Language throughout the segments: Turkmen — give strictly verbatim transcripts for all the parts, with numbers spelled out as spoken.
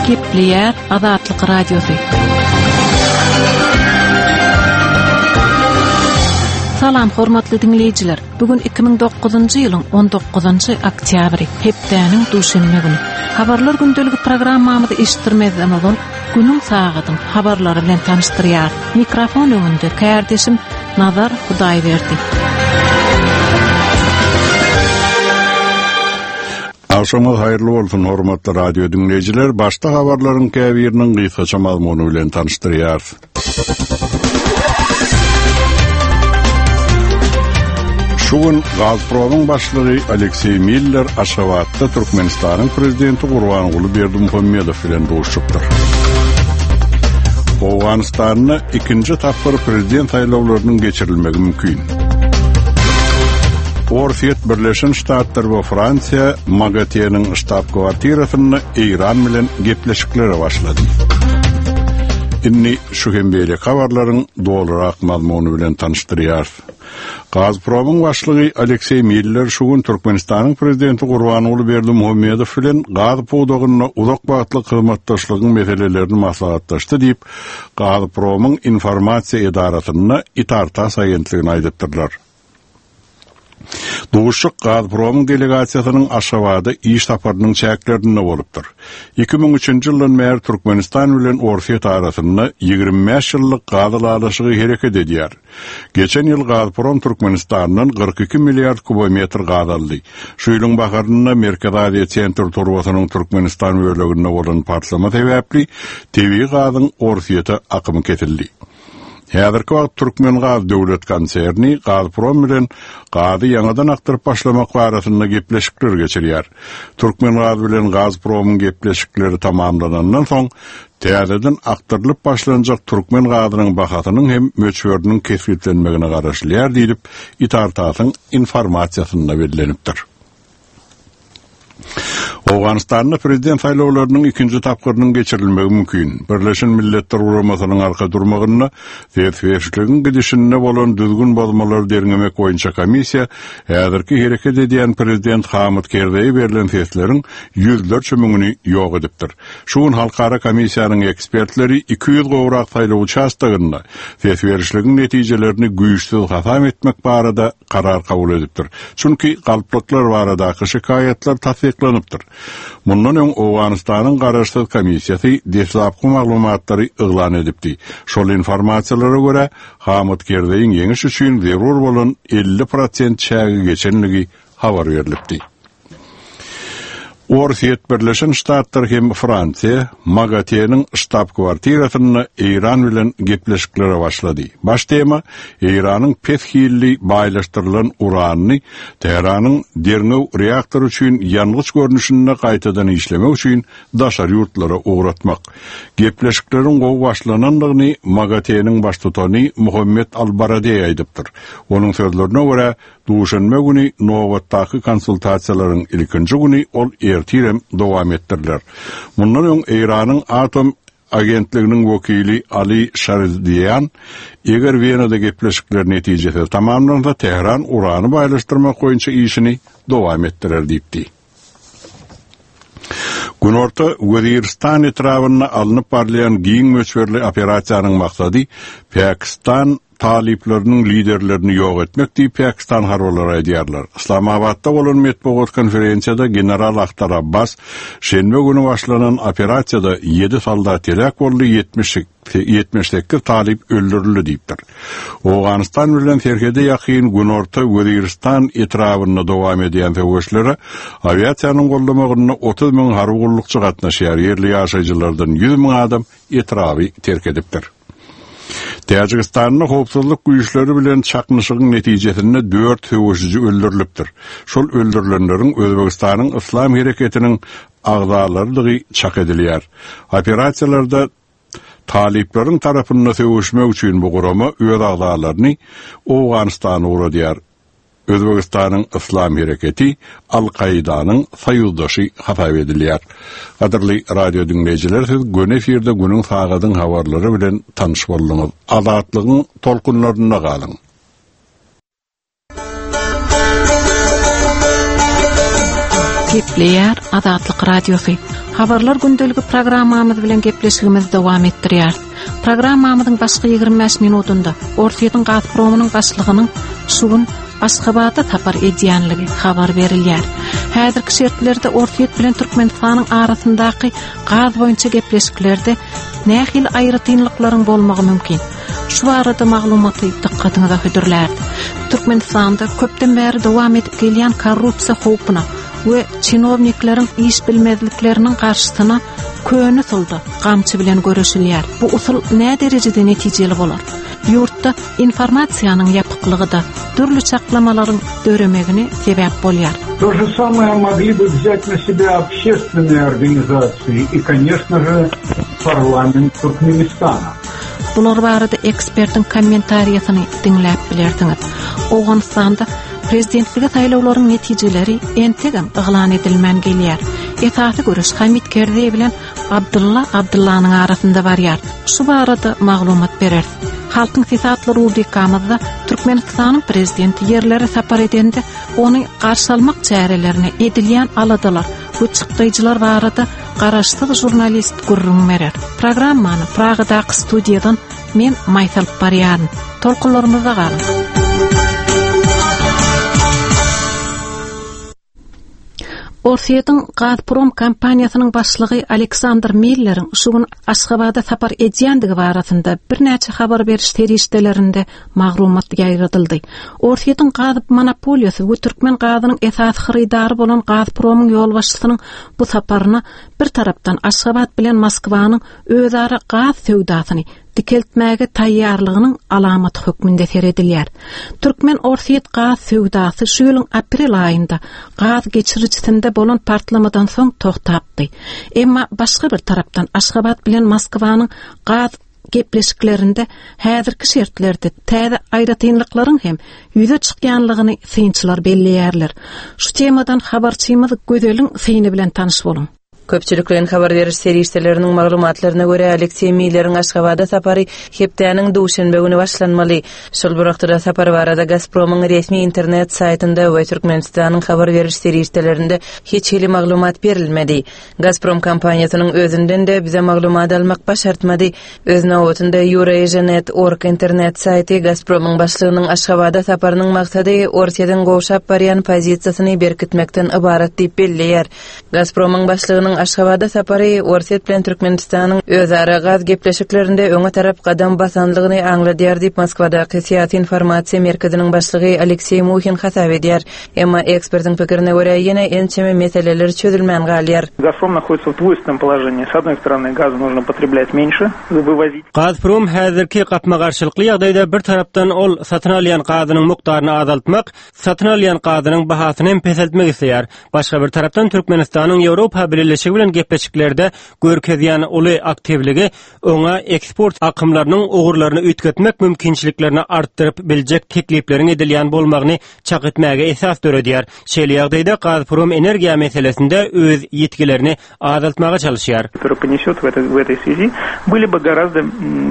Gepleýär Azatlyk Radiosy. Salam hormatly diňleýjiler. Bugün iki müň dokuzynjy ýylyň on dokuzynjy oktýabry, hepdäniň duşenbe güni. Habarlar gündeligi programmamyzy eşitdirmezden ozal günüň sagadyň habarlary bilen tanyşdyrýar. Mikrofon öňünde kärdeşim Nazar Hudaýberdi. Agşamyňyz haýyrly bolsun hormatly radio diňleýjiler. Başda habarlaryň käbiriniň gysgaça mazmuny bilen tanyşdyrýarys. Şu gün Gazpromyň başlygy Alekseý Miller Aşgabatda Türkmenistanyň prezidenti Gurbanguly Berdimuhamedow bilen duşupdyr. Owganystanda ikinji tapgyr prezident saýlawlarynyň geçirilmegi mümkin. Orsýet, Birleşen Ştatlar we Fransiýa MAGATE'niň ştab-kwartirasynda Eýran bilen gepleşiklere başlady. Indi şu hem beýle habarlaryň dolurak mazmuny bilen tanyşdyrýarys. Gazpromyň başlygy Alekseý Miller şu gün Türkmenistanyň prezidenti Gurbanguly Berdimuhamedow bilen gaz pudagynda uzak wagtlyk hyzmatdaşlygyň meselelerini maslahatlaşdy diýip, Gazpromyň informasiýa edarasynda Itartas agentligine aýdypdyrlar. Duşuk Gazpromyň delegasiýasynyň Aşgabatda iş saparynyň çäklerinde bolupdyr. Iki müň üçünji ýyldan bäri Türkmenistan bilen Orsýet arasynda ýigrimi bäş ýyllyk gaz ylalaşygy hereket edýär. Geçen ýyl Gazprom Türkmenistandan kyrk iki milliard kubometr gaz aldy. Şu ýylyň baharynda Merkezi Aziýa Sentr turbasynyň Türkmenistan böleginde bolan partlama sebäpli tebigy gazyň Orsýete akymy kesildi. Häzirki wagt Türkmen Gaz Döwlet konserni Gazprom bilen gazy ýaňadan akdyryp başlamak barasynda gepleşikler geçirýär. Türkmen Gaz bilen Gazpromyň gepleşikleri tamamlanandan soň täzeden akdyrylyp başlanjak Türkmen gazynyň bahasynyň hem möçberiniň kesgitlenmegine garaşylýar diýlip Itartasyň informasiýasynda bellenipdir. Owganystanda prezident saýlawlarynyň ikinji tapgyrynyň geçirilmegi mümkin. Birleşen Milletler Guramasynyň arka durmagynda ses berişligiň gidişinde bolan düzgün bozmalary derňemek boýunça komissiýa häzirki hereket edýän prezident Hamid Kerzeýe berlen sesleriň ýüzlerçe müňüni ýok edipdir. Şu gün halkara komissiýanyň ekspertleri iki ýüz gowrak saýlaw uçastagynda ses berişligiň netijelerini güýçsüz hasap etmek barada karar kabul edipdir. Çünki galplyklar baradaky şikaýatlar tassyklanypdyr. Mundan öň Owganystanyň garaşsyz komissiýasy deslapky maglumatlary yglan edipdi. Şol informasiýalara görä Hamid Kerzeýiň ýeňiş üçin zerur bolan elli prosent çägi geçenligi habar berilipdi. Orsýet, Birleşen Ştatlar hem Fransiýa MAGATE'niň ştab-kwartirasynda Eýran bilen gepleşiklere başlady. Baş tema Eýranyň pes hilli baýlaşdyrylan uranyny Tähranyň derňew reaktory üçin ýangyç görnüşinde gaýtadan işlemek üçin daşary ýurtlara ugratmak. Gepleşikleriň gowy başlanandygyny MAGATE'niň baştutany Muhammed Al-Baradei aýdypdyr. Onuň sözlerine görä, duşenbe güni nobatdaky konsultasiýalaryň ilkinji güni ol ertirem dowam etdiriler. Mundan öň Eýranyň atom agentliginiň wekili Ali Şardian, eger Wenada gepleşikler netijesi tamamlansa, Tähran urany baýlaşdyrmak boýunça işini dowam etdirer diýipdi. Günorta Weziristan etrabynda alnyp barylýan giň möçberli operasiýanyň maksady Pakistan talyplarynyň liderlerini ýok etmek diýip Pakistan harbylary aýdýarlar. Islamabadda bolan metbugat konferensiýada General Akhtar Abbas şenbe güni başlanan operasiýada ýedi soldat heläk boldy, ýetmiş sekiz talyp öldürildi diýipdir. Owganystan bilen serhede ýakyn Günorta Weziristan etrabynda dowam edýän söweşlere awiasiýanyň gollamagynda otuz müň harby gullukçy gatnaşýar. Ýerli ýaşaýjylardan ýüz müň adam etraby terk edipdir. Täjigistanda howpsuzlyk güýçleri bilen çaknyşygyň netijesinde dört söweşiji öldürilipdir. Şol öldürilenleriň Özbegistanyň Islam hereketiniň agzalarydygy çak edilýär. Operasiýalarda talyplaryň tarapynda söweşmek üçin bu gurama öz agzalaryny Owganystana ugradýar. Özbegistanyň Islam hereketi Al-Kaidanyň soýuzdaşy hasap edilýär. Gadyrly radio diňleýjiler, siz göni efirde günüň sagadyň habarlary bilen tanyş bolduňyz. Azatlygyň tolkunlarynda galyň. Gepleýär Azatlyk Radiosy. Habarlar gündeligi programmamyz bilen gepleşigimizi dowam etdirýär. Programmamyzyň başky ýigrimi bäş minutynda Orsýetiň Gazpromynyň başlygynyň şu gün Aşgabatda sapar edýänligi habar berilýär. Häzirki şertlerde Orsýet bilen Türkmenistanyň arasyndaky gaz boýunça gepleşiklerde nähili aýratynlyklaryň bolmagy mümkin? Şu barada maglumaty dykgatyňyza hödürlärdi. Türkmenistanda köpden bäri dowam edip gelýän korrupsiýa howpuna we çinownikleriň iş bilmezlikleriniň garşysyna köne usulda gamçy bilen göreşilýär. Bu usul nä derejede netijeli bolar? Ýurtda informasiýanyň ýapyklygy da dürli çaklamalaryň döremegine sebäp bolýar. То же самое могли бы взять на себя общественные организации и, конечно же, парламент Туркменистана. Bular barada ekspertiň kommentariýasyny diňläp bilersiňiz. Owganystanda prezidentlige saýlawlaryň netijeleri entegem yglan edilmän gelýär. Esasy göreş Hamid Kerzeý bilen Abdulla Abdullanyň arasynda barýar. Şu barada maglumat berer. Halkyň sesi atly rubrikamyzda Türkmenistanyň prezidenti ýerlere sapar edende ony garşy almak çärelerine edilýän aladalar we çykdaýjylar barada garaşsyz žurnalist gürrüň berer. Programmany Pragadaky studiýadan men Maýsal barýaryn. Tolkunlarymyzda galyň. Orsýetiň Gazprom kompaniýasynyň başlygy Aleksandr Milleriň şu gün Aşgabada sapar edýändigi barasynda birnäçe habar beriş serişdelerinde maglumat ýaýradyldy. Orsýetiň gaz monopoliýasy we türkmen gazynyň esasy hyrydary bolan Gazpromyň ýolbaşçysynyň bu saparyna bir tarapdan Aşgabat bilen Moskwanyň özara gaz söwdasyny dikeltmäge taýýarlygynyň alamaty hökmünde seredilýär. Türkmen Orsýet gaz söwdasy şu ýylyň aprel aýynda gaz geçirijisinde bolan partlamadan soň togtapdy. Emma başga bir tarapdan Aşgabat bilen Moskwanyň gaz gepleşiklerinde häzirki şertlerde täze aýratynlyklaryň hem ýüze çykýanlygyny synçylar belleýärler. Şu temadan habarçymyz Gözeliň syny bilen tanyş boluň. Köpçülikleýin habar beriş serişdeleriniň maglumatlaryna görä Alekseý Milleriň Aşgabada sapary hepdäniň duşenbe güni başlanmaly. Şol bir wagtda sapar barada Gazpromyň resmi internet saýtynda we Türkmenistanyň habar beriş serişdelerinde hiç hili maglumat berilmedi. Gazprom kompaniýasynyň özünden de bize maglumat almak başartmady. Öz nobatynda Eurasianet org internet saýty Gazpromyň başlygynyň Aşgabada saparynyň maksady Orsýetiň gowşap barýan pozisiýasyny berkitmekden ybarat diýip belleýär. Gazpromyň başlygynyň Aşgabada sapary Orsýet bilen Türkmenistanyň özara gaz gepleşiklerinde öňe tarap gadam basanlygyny aňladýar diýip Moskwadaky syýasy informasiýa merkeziniň başlygy Alekseý Muhin hasap edýär. Emma ekspertiň pikirine görä ýene ençeme meseleler çözülmän galýar. Газпром находится в двойственном положении. С одной стороны, газа нужно потреблять меньше, вывозить. Gazprom häzirki gapma-garşylykly ýagdaýda bir tarapdan ol satyn alýan gazynyň mukdaryny azaltmak, satyn alýan gazynyň bahasyny hem peseltmek isleýär. Başga bir tarapdan Türkmenistanyň Ýewropa Birleşigi bilen gepleşiklerde görkezýän uly aktiwligi oňa eksport akymlarynyň ugurlaryny üýtgetmek mümkinçiliklerini artdyryp biljek teklipleriň edilýän bolmagyny çak etmäge esas döredýär. Şeýle ýagdaýda Gazprom energiýa meselesinde öz ýetkilerini azaltmaga çalışýar. Который понесет в этой, в этой связи, были бы гораздо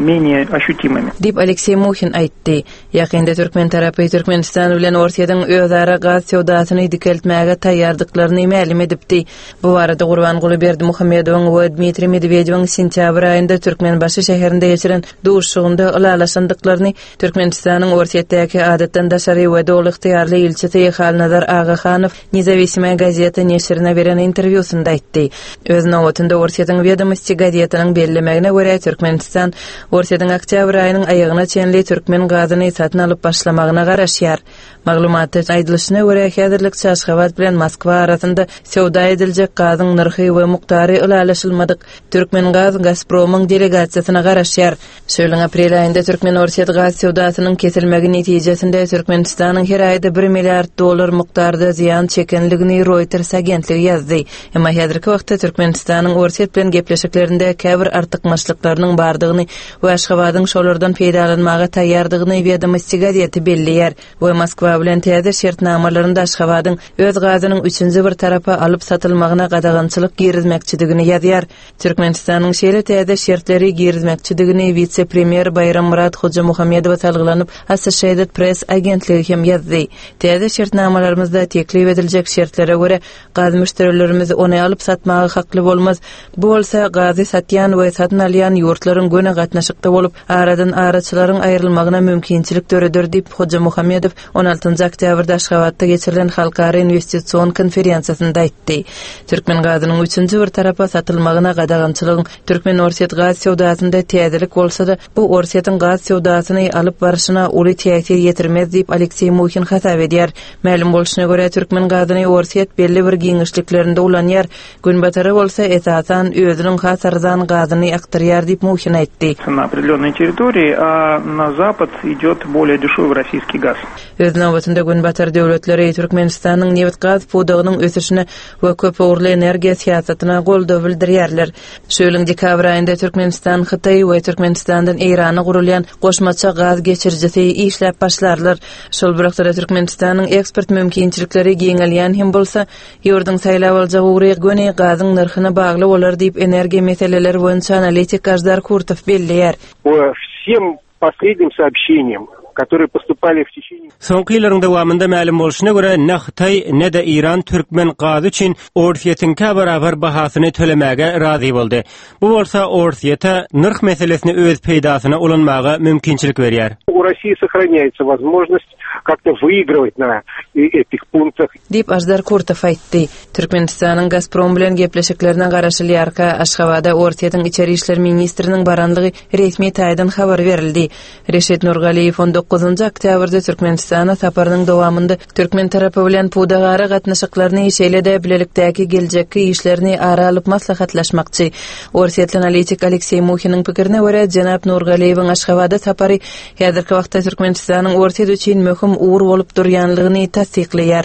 менее ощутимыми. Diýip Alekseý Muhin aýtdy. Ýakynda türkmen tarapy Türkmenistan bilen Orsýetiň özara gaz söwdasyny dikeltmäge taýýardyklaryny mälim edipdi. Bu barada Gurbanguly Berdimuhamedowyň we Dmitriý Medwedewiň sentýabr aýynda Türkmenbaşy şäherinde geçiren duşuşygynda ylalaşandyklaryny Türkmenistanyň Orsýetdäki adatdan daşary we doly ygtyýarly ilçisi Halnazar Agahanow Nezawisimaya gazeta neşirine beren interwýusynda aýtdy. Öz nobatynda Orsýetiň Wedomosti gazetiniň bellemegine görä Türkmenistan Orsýetiň oktýabr aýynyň aýagyna çenli türkmen gazyny satyn alyp başlamagyna garaşýar. Maglumatda aýdylyşyna görä häzirlikçe Aşgabat bilen Moskwa arasynda söwda ediljek gazyň nyrhy we mukdary ylalaşylmadyk. Türkmen gaz Gazpromyň delegasiýasyna garaşýar. Şu ýylyň aprel aýynda Türkmen Orsýet gaz söwdasynyň kesilmegi netijesinde Türkmenistanyň her aýda bir milliard dollar mukdarda zyýan çekenligini Reuters agentligi ýazdy. Emma häzirki wagtda Türkmenistanyň Orsýet bilen gepleşiklerinde käbir artykmaçlyklarynyň bardygyny we Aşgabadyň şolardan peýdalanmaga taýýardygyny Wedomosti gazeti belleýär we Moskwa bilen täze şertnamalarynda Aşgabadyň öz gazynyň üçünji bir tarapa alyp satylmagyna gadagançylyk girizmekçidigini ýazýar. Türkmenistanyň şeýle täze şertleri girizmekçidigini wise-premýer Baýrammyrat Hojamuhammedowa salgylanyp Associated Press agentligi hem ýazdy. Täze şertnamalarymyzda teklip ediljek şertlere görä gaz müşderilerimiz ony alyp satmaga hakly bolmaz. Bu bolsa gazy satýan we satyn alýan ýurtlaryň göni gatnaşykda bolup, aradan araçylaryň aýrylmagyna mümkinçilik döreder diýip Hojamuhammedow on altynjy oktýabrda Aşgabatda geçirilen halkara investision konferensiýasynda aýtdy. Türkmen gazynyň üçünji bir tarapa satylmagyna gadagançylygyň Türkmen Orsýet gaz söwdasynda täzelik bolsa-da, bu Orsýetiň gaz söwdasyny alyp barşyna uly täsir ýetirmez diýip Alekseý Muhin hasap edýär. Mälim bolşuna görä Türkmen gazyny Orsýet belli bir giňişliklerinde ulanýar. Günbatara bolsa esasan özüniň has arzan gazyny akdyrýar diýip Muhin aýtdy. На определенной территории, а на запад идет более дешевый российский газ. Öz nobatynda Günbatar döwletleri Türkmenistanyň neft gaz pudagynyň ösüşine we köpugurly energiýa syýasatyna goldaw bildirýärler. Şu ýylyň dekabr aýynda Türkmenistan Hytaý we Türkmenistandan Eýrana gurulýan goşmaça gaz geçirijisi işläp başlarlar. Şol bir wagtda Türkmenistanyň eksport mümkinçilikleri giňelýän hem bolsa, ýurduň saýlap aljak ugry göni gazyň nyrhyna bagly bolar diýip energiýa meseleleri boýunça analitik Aždar Kurtow belleýär. По всем последним сообщениям, которые поступали в течение Soňky ýyllaryň dowamynda mälim bolşuna görä ne Hytaý ne de Eýran türkmen gazy üçin Orsýetiňkä barabar bahasyny tölemäge razy boldy. Bu bolsa Orsýete nyrh meselesini öz peýdasyna ulanmaga mümkinçilik berýär. У России сохраняется возможность как-то выигрывать на этих пунктах. Diýip Aždar Kurtow aýtdy. Türkmenistanyň Gazprom bilen gepleşiklerine garaşylýarka Aşgabatda Orsýetiň içeri işler ministriniň baranlygy resmi taýdan habar berildi. Reşit Nurgaliýew on dokuzynjy oktýabrda Türkmenistana saparynyň dowamynda türkmen tarapy bilen pudagara gatnaşyklaryny şeýle-de bilelikdäki geljekki işlerini ara alyp maslahatlaşmakçy. Orsýetli analitik Alekseý Muhiniň pikirine görä Jenap Nurgaliýewiň Aşgabatda sapary häzirki wagtda Türkmenistanyň Orsýet üçin möhüm ugur bolup durýanlygyny tassyklaýar.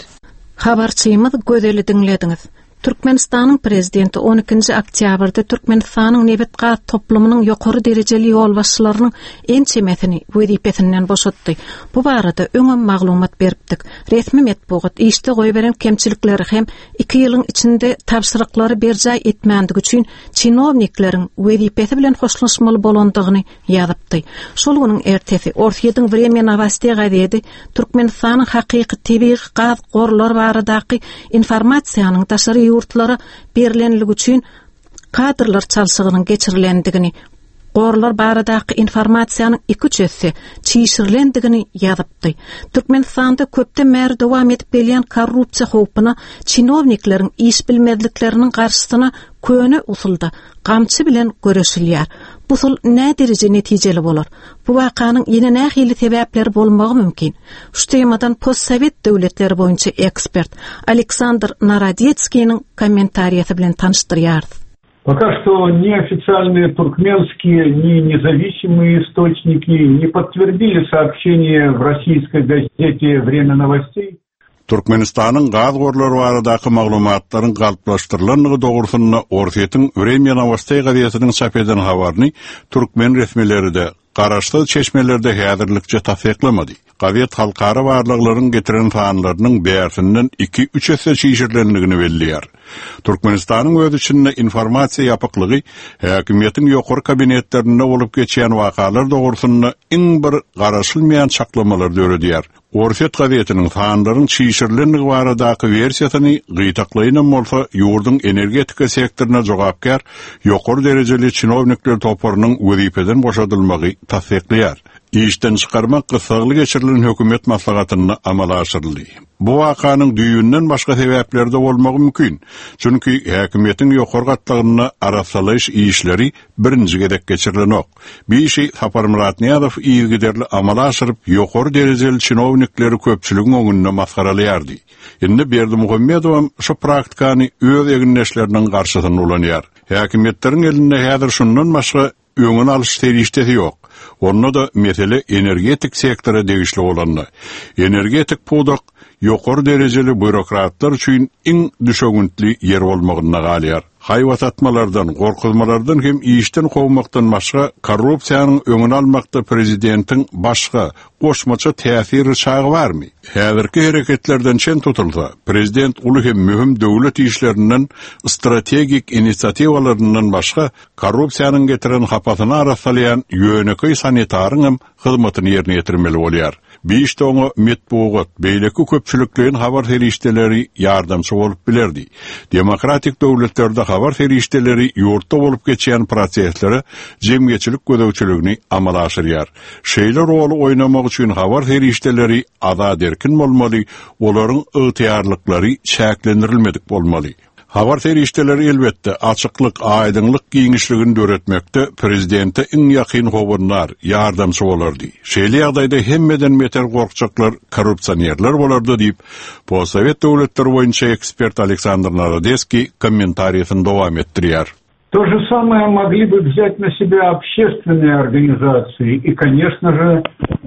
Habarçymyz Gözeli diňlediňiz. Türkmenistanyň prezidenti on ikinji oktýabrda Türkmenistanyň nebit gaz toplumynyň ýokary derejeli ýolbaşçylarynyň ençemesini wezipesinden boşatdy. Bu barada öňem maglumat beripdik. Resmi metbugat işde goýberen kemçilikleri hem iki ýylyň içinde tabşyryklary berjaý etmändigi üçin çinownikleriň wezipesi bilen hoşlaşmaly bolandygyny ýazypdy. Şol günüň ertesi Orsýetiň Vremya Novostey gazeti Türkmenistanyň hakyky tebigy gaz gorlary baradaky informasiýanyň daşary ýurtlara berilenligi üçin kadrlar çalşygynyň geçirilendigini, gorlar baradaky informasiýanyň iki üç esse çişirilendigini ýazypdy. Türkmenistanda köpden bäri dowam edip gelýän korrupsiýa howpuna çinownikleriň iş bilmezlikleriniň garşysyna köne usulda gamçy bilen göreşilýär. Bu usul nä dereje netijeli bolar? Bu wakanyň ýene nähili sebäpleri bolmagy mümkin? Şu temadan postsovet döwletleri boýunça ekspert Aleksandr Narodetskiniň kommentariýasy bilen tanyşdyrýarys. Пока что ни официальные туркменские, ни независимые источники не подтвердили сообщение в российской газете «Время новостей». Türkmenistanyň gaz gorlary baradaky maglumatlaryň galplaşdyrylandygy dogrusynda Orsýetiň Vremya Novostey gazetiniň çap eden habaryny türkmen resmileri-de garaşsyz çeşmelerde häzirlikçe tassyklamady. Gazet halkara barlaglaryň getiren sanlarynyň bärsinden iki üç esse çişirilendigini belleýär. Türkmenistanyň öz içinde informasiýa ýapyklygy häkimiýetiň ýokary kabinetlerinde bolup geçýän wakalar dogrusynda iň bir garaşylmaýan çaklamalar döredýär. Orsýet gazetiniň sanlaryň çişirilendigi baradaky wersiýasyny gytaklaýynam bolsa ýurduň energetika sektoryna jogapkär ýokary derejeli çinownikler toparynyň wezipeden boşadylmagy tassyklaýar. Işden çykarmak gyssagly geçirilen hökümet maslahatynda amala aşyryldy. Bu wakanyň düýünden başga sebäpleri de bolmagy mümkin. Çünki häkimiýetiň ýokary gatlagynda arassalaýyş işleri birinji gezek geçirilenok. Bir işi Saparmyrat Nyýazow yzygiderli amala aşyryp ýokary derejeli çinownikleri köpçüligiň öňünde masgaralaýardy. Indi Berdimuhamedowam şu praktikany öz egindeşleriniň garşysyna ulanýar. Häkimiýetleriň elinde häzir şundan başga öňün alyş serişdesi ýok. Onda da mesele energetik sektora degişli bolanda. Energetik pudak ýokary derejeli býurokratlar üçin iň düşewüntli ýer bolmagyna galýar. Haýbat atmalardan, gorkuzmalardan hem işden kowmakdan başga korrupsiýanyň öňüni almakda prezidentiň başga goşmaça täsir çagy barmy? Häzirki hereketlerden çen tutulsa, prezident uly hem möhüm döwlet işlerinden, strategik inisiatiwalaryndan başga korrupsiýanyň getiren hapasyny arassalaýan ýönekeý sanitaryň hem hyzmatyny ýerine ýetirmeli bolýar. Beş oňa metbugat, beýleki köpçülikleýin habar serişdeleri ýardamçy bolup bilerdi. Demokratik döwletlerde habar serişdeleri ýurtda bolup geçýän proseslere jemgyýetçilik gözegçiligini amala aşyrýar. Şeýle roly oýnamak üçin habar serişdeleri azat erkin bolmaly, olaryň ygtyýarlyklary çäklendirilmedik bolmaly. Habar serişdeleri elbetde açyklyk, aýdyňlyk giňişligini döretmekde prezidente iň ýakyn howandar, ýardamçy bolardy. Şeýle ýagdaýda hemmeden beter gorkjaklar korrupsionerler bolardy diýip, Postsowet döwletleri boýunça ekspert Aleksandr Narodeskiý kommentariýasyny dowam etdirýär. То же самое могли бы взять на себя общественные организации и, конечно же,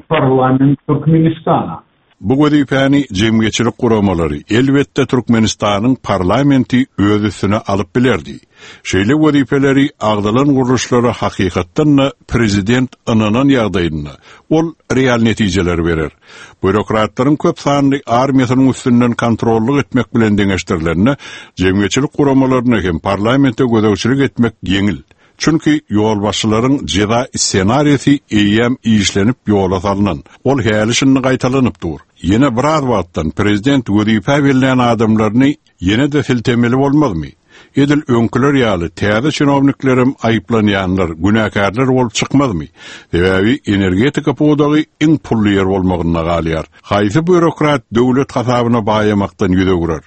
парламент Туркменистана. Bu wezipäni jemgyýetçilik guramalary elbetde Türkmenistanyň parlamenti öz üstüne alyp bilerdi. Şeýle wezipeleri agdalan gurluşlara hakykatdan prezident ynanan ýagdaýynda ol real netijeler berer. Býurokratlaryň köp sanly armiýasynyň üstünden kontrollyk etmek bilen deňeşdirilenine jemgyýetçilik guramalaryna hem parlamente gözegçilik etmek ýeňil. Çünki ýolbaşçylaryň jeza ssenariýasy eýýäm işlenip ýola salynan. Ol häli şindi gaýtalanyp dur. Ýene biraz wagtdan prezident wezipe berlen adamlaryny ýene de siltemeli bolmazmy? Edil öňküler ýaly täze çinowniklerim aýyplanýanlar, günäkärler bolup çykmazmy? Sebäbi energetika pudagy iň pully ýer bolmagyna galýar. Haýsy býurokrat döwlet hasabyna baýamakdan ýüz öwrer?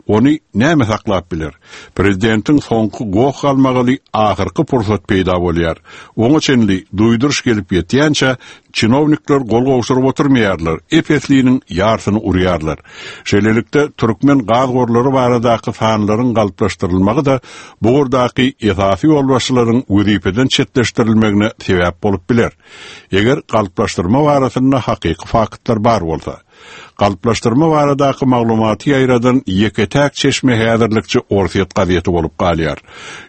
Ony näme saklap biler? Prezidentiň soňky goh galmagyly ahyrky pursat peýda bolýar. Oňa çenli duýduryş gelip ýetýänçe çinownikler gol gowşuryp oturmaýarlar, ep-esliniň ýarsyny urýarlar. Şeýlelikde türkmen gaz gorlary baradaky sanlaryň galplaşdyrylmagy da bu ugurdaky esasy ýolbaşçylaryň wezipeden çetleşdirilmegine sebäp bolup biler. Eger galplaşdyrma barasynda hakyky faktlar bar bolsa, galplaşdyrma baradaky maglumaty ýaýradan ýeke-täk çeşme häzirlikçe Orsýet gazeti bolup galýar.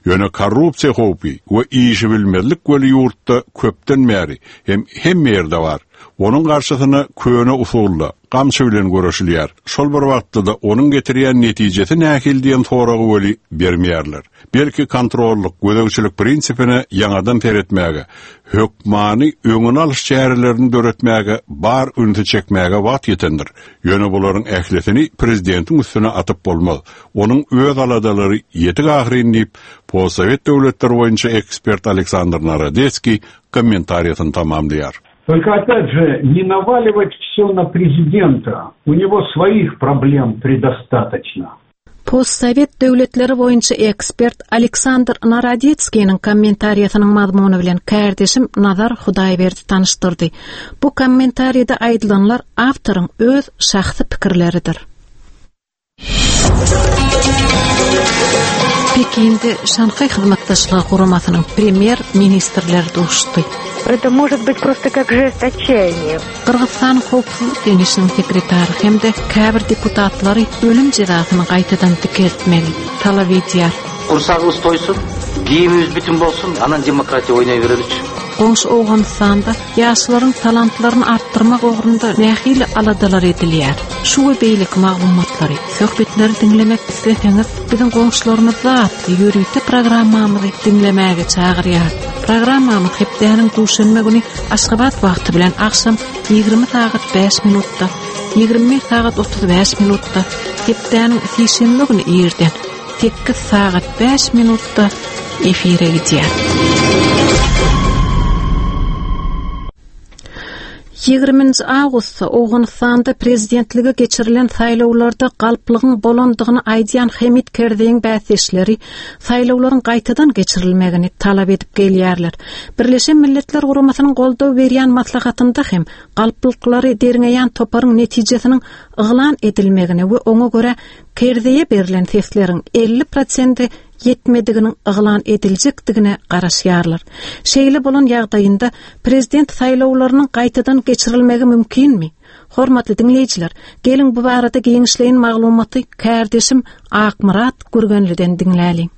Ýöne korrupsiýa howpy we işi bilmezlik weli ýurtda köpden bäri hem hemme ýerde bar. Onuň garşysyna köne usulla gamçy bilen görüşilýär. Şol bir wagtda da onuň getirýän netijesi nähili diýen soragy weli bermeýärler. Belki kontrollyk, gözegçilik prinsipine ýaňadan seretmäge, hökmany öňüni alyş çärelerini döretmäge, bar ünsi çekmäge wagt ýetendir. Ýöne bularyň ählisini prezidentiň üstüne atyp bolmaz. Onuň öz aladalary ýetik ahyryn diýip, Postsowet döwletleri boýunça ekspert Aleksandr Narodeskiý kommentariýasyny tamamlaýar. Только опять же, не наваливать все на президента. У него своих проблем предостаточно. Postsowet döwletleri boýunça ekspert Aleksandr Narodetskiniň kommentariýasynyň mazmuny bilen kärdeşim Nazar Hudaýberdi tanyşdyrdy. Bu kommentariýada aýdylanlar awtoryň öz şahsy pikirleridir. Pekinde Şanhaý Hyzmatdaşlygy Guramasynyň premýer ministrleri duşdy. Это может быть просто как жест отчаяния. Gyrgyzstan Howpsuzlyk Geňeşiniň sekretary hem-de käbir deputatlary ölüm jezasyny gaýtadan dikeltmegi talap edýär. Kursagыбыз toýsun, kiýimimiz бүтүн bolsun, анан демократия ойнай береличи. Goňşy Owganystanda ýaşlaryň talantlaryny artdyrmak ugrunda nähili aladalar edilýär. Şu we beýleki maglumatlary, söhbetleri diňlemek isleseňiz, biziň goňşularymyzda atly ýörite programmamyzy diňlemäge çagyrýar. Programmamyz hepdäniň duşenbe güni Aşgabat wagty bilen agşam ýigrimi sagat bäş minutda, ýigrimi bir sagat otuz bäş minutda, hepdäniň sişenbe güni irden sekiz sagat bäş minutda efire gidýär. Ýigriminji awgustda Owganystanda prezidentlige geçirilen saýlawlarda galplygyň bolandygyny aýdýan Hamid Kerzeýiň bäsdeşleri saýlawlaryň gaýtadan geçirilmegini talap edip gelýärler. Birleşen Milletler Guramasynyň goldaw berýän maslahatynda hem galplyklary derňeýän toparyň netijesiniň yglan edilmegine we oňa görä Kerzeýe berlen sesleriň elli prosenti ýetmediginiň yglan ediljekdigine garaşýarlar. Şeýle bolan ýagdaýynda prezident saýlawlarynyň gaýtadan geçirilmegi mümkinmi? Hormatly diňleýjiler, geliň bu barada giňişleýin maglumaty kärdeşim Akmyrat Gürgenliden diňläliň.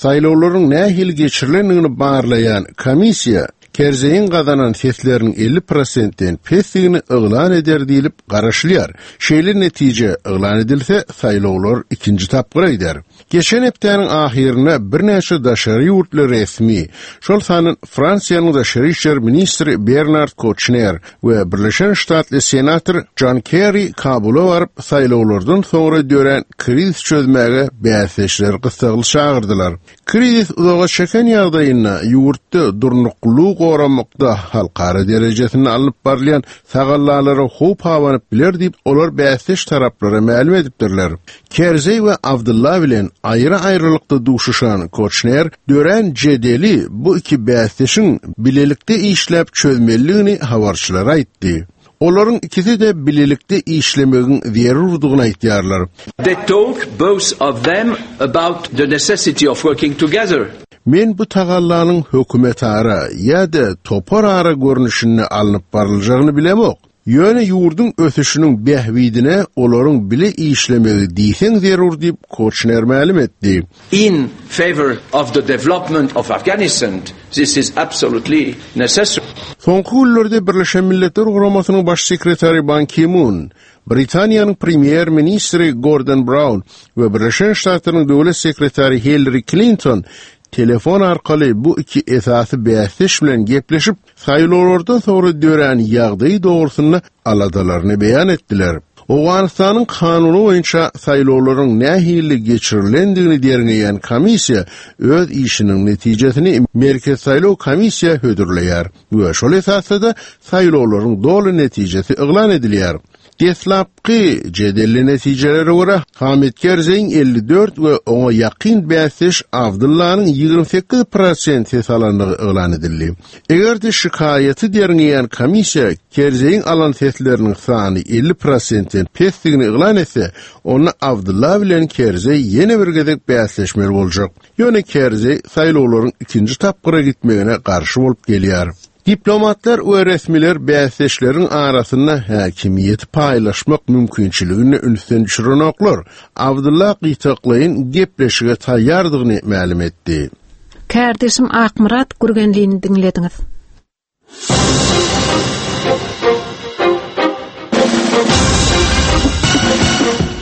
Saýlawlaryň nähili geçirilendigini barlaýan komissiýa Kerzeýiň gazanan sesleriniň elli prosentden pesdigini yglan eder diýlip garaşylýar. Şeýle netije yglan edilse, saýlawlar ikinji tapgyra gider. Geçen hepdäniň ahyrynda birnäçe daşary ýurtly resmi, şol sanda Fransiýanyň daşary işler ministri Bernard Kouchner we Birleşen Ştatly senator John Kerry Kabula baryp saýlawlardan soňra dörän kriz çözmäge bäsdeşler gyssagly çagyrdylar. Krizis uzaga çeken ýagdaýynda ýurtda durnuklylygy goramakda halkara derejesinde alnyp barylýan tagallalara howp abanyp biler diýip, olar bäsdeş taraplara mälim edipdirler. Kerzeý we Abdullah bilen aýry-aýrylykda duşuşan Kouchner dörän jedeli bu iki bäsdeşiň bilelikde işläp çözmelidigini habarçylara aýtdy. Olaryň ikisi de bilelikde işlemegiň zerurdygyny aýtýarlar. They talk both of them about the necessity of working together. Men bu tagallanyň hökümetara ýa-da toparara görnüşinde alnyp baryljagyny bilemok. Ýöne ýurduň ösüşiniň bähbidine olaryň bile işlemegi diýseň zerur diýip Kouchner mälim etdi. In favor of the development of Afghanistan, this is absolutely necessary. Soňky günlerde Birleşen Milletler Guramasynyň baş sekretary Ban Ki-moon, Britaniýanyň premýer ministri Gordon Brown we Birleşen Ştatlaryň döwlet sekretary Hillary Clinton telefon arkaly bu iki esasy bäsdeş bilen gepleşip, saýlawlardan soňra dörän ýagdaýy dogrusynda aladalaryny beýan etdiler. Owganystanyň kanuny boýunça saýlawlaryň nähili geçirilendigini derňeýän komissiýa öz işiniň netijesini Merkez saýlaw komissiýa hödürleýär we şol esasda da saýlawlaryň doly netijesi yglan edilýär. Deslapky jedelli netijelere görä Hamid Kerzeýiň elli dört we oňa ýakyn bäsdeş Abdullanyň ýigrimi sekiz prosent ses alandygy yglan edildi. Eger-de şikaýaty derňeýän komissiýa Kerzeýiň alan sesleriniň sany elli prosentden pesdigini yglan etse, onda Abdullah bilen Kerzeý ýene bir gezek bäsleşmeli boljak. Ýöne Kerzeý saýlawlaryň ikinji tapgyra gitmegine garşy bolup gelýär. Diplomatlar we resmiler bäsdeşleriň arasynda häkimiýeti paýlaşmak mümkinçiligini ünsden düşürenoklar. Abdullah gytaklaýyn gepleşige taýýardygyny mälim etdi. Kärdeşim Akmyrat Gürgenlini diňlediňiz.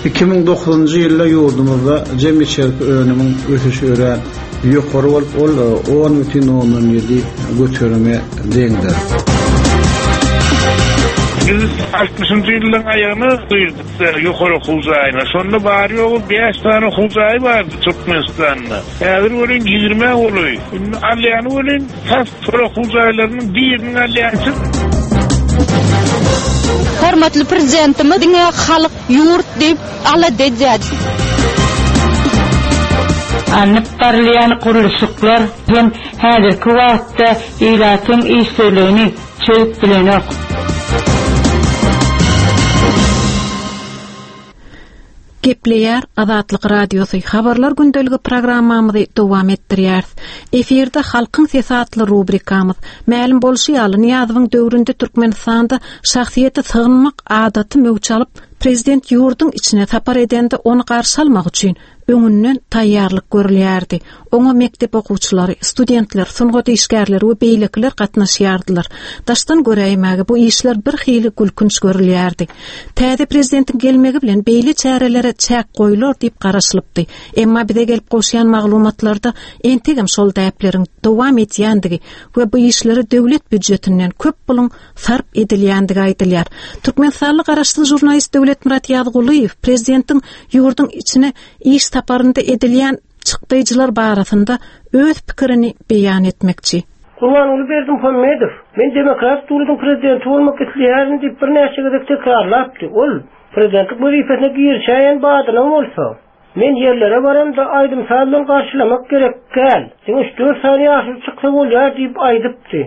iki müň dokuzynjy ýylda ýurdumyzda jem içerki önümiň ösüşi örän ýokary bolup, ol on bütin ondan ýedi göterime deňdir. Biz altmyşynjy ýylyň aýagyna girdik ýokary okuw jaýyna. Şonda bary ýogy bäş tane okuw jaýy bardy Türkmenistanda. Häzir welin ýigrimi golaý. Indi alýany welin tas şol okuw jaýlarynyň biriniň alýançy. Hormatly prezidentimiz diňe halk ýurt diýip alada edýär. Alnyp barylýan gurluşyklar hem häzirki wagtda ilatyň işsizligini çözüp bilenok. Gepleýär Azatlyk Radiosy habarlar gündeligi programmamyzy dowam etdirýär. Efirde Halkyň sesi atly rubrikamyz. Mälim bolşy ýaly Nyýazowyň döwründe Türkmenistanda şahsyýeti sygynmak adaty möwç alyp, prezident ýurduň içine sapar edende ony garşy almak üçin öňünden taýýarlyk görülýärdi. Oňa mekdep okuwçylary, studentler, sungat işgärleri we beýlekiler gatnaşýardylar. Daşdan göräýmäge bu işler bir hili gülkünç görülýärdi. Täze prezidentiň gelmegi bilen beýle çärelere çäk goýular diýip garaşylypdy. Emma bize gelip gowşan maglumatlarda entegem şol däpleriň dowam edýändigi we bu işlere döwlet býujetinden köp puluň sarp edilýändigi aýdylýar. Türkmenistanly garaşsyz žurnalist Döwletmyrat Ýazgulyýew prezidentiň ýurduň içine iş saparynda edilýän çykdaýjylar barasynda öz pikirini beýan etmekçi. Gurbanguly Berdimuhamedow, men demokrat döwletiň prezidenti bolmak isleýärin diýip birnäçe gezek tekrarlapdy. Ol prezidentlik wezipesine girişäýen badyna bolsa, men ýerlere baramda aýdym saz bilen garşylamak gerek gel. Diňe üç dört sany ýaşuly çyksa bolýar diýip aýdypdy.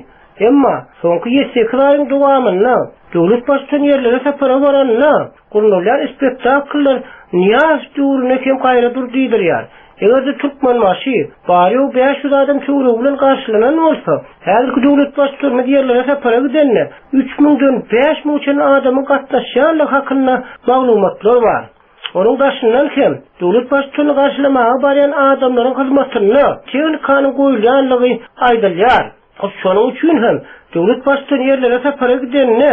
Emma soňky ýedi sekiz aýyň dowamynda döwlet baştutan ýerlere sapara baranda gurnalýan spektakllar Nyýazow döwrüne hem gaýra dur diýdirýär. Eger-de Türkmenbaşy bary ýogy bäş ýüz adam töweregi bilen garşylanan bolsa, häzirki döwlet baştutanymyz ýerlere sapara gidende üç müňden bäş müň çenli adamyň gatnaşýanlygy hakynda maglumatlar bar. Onuň daşyndan hem döwlet baştutany garşylamaga barýan adamlaryň hyzmatynda tehnikanyň goýulýanlygy aýdylýar. Şonuň üçin hem döwlet baştutany ýerlere sapara gidende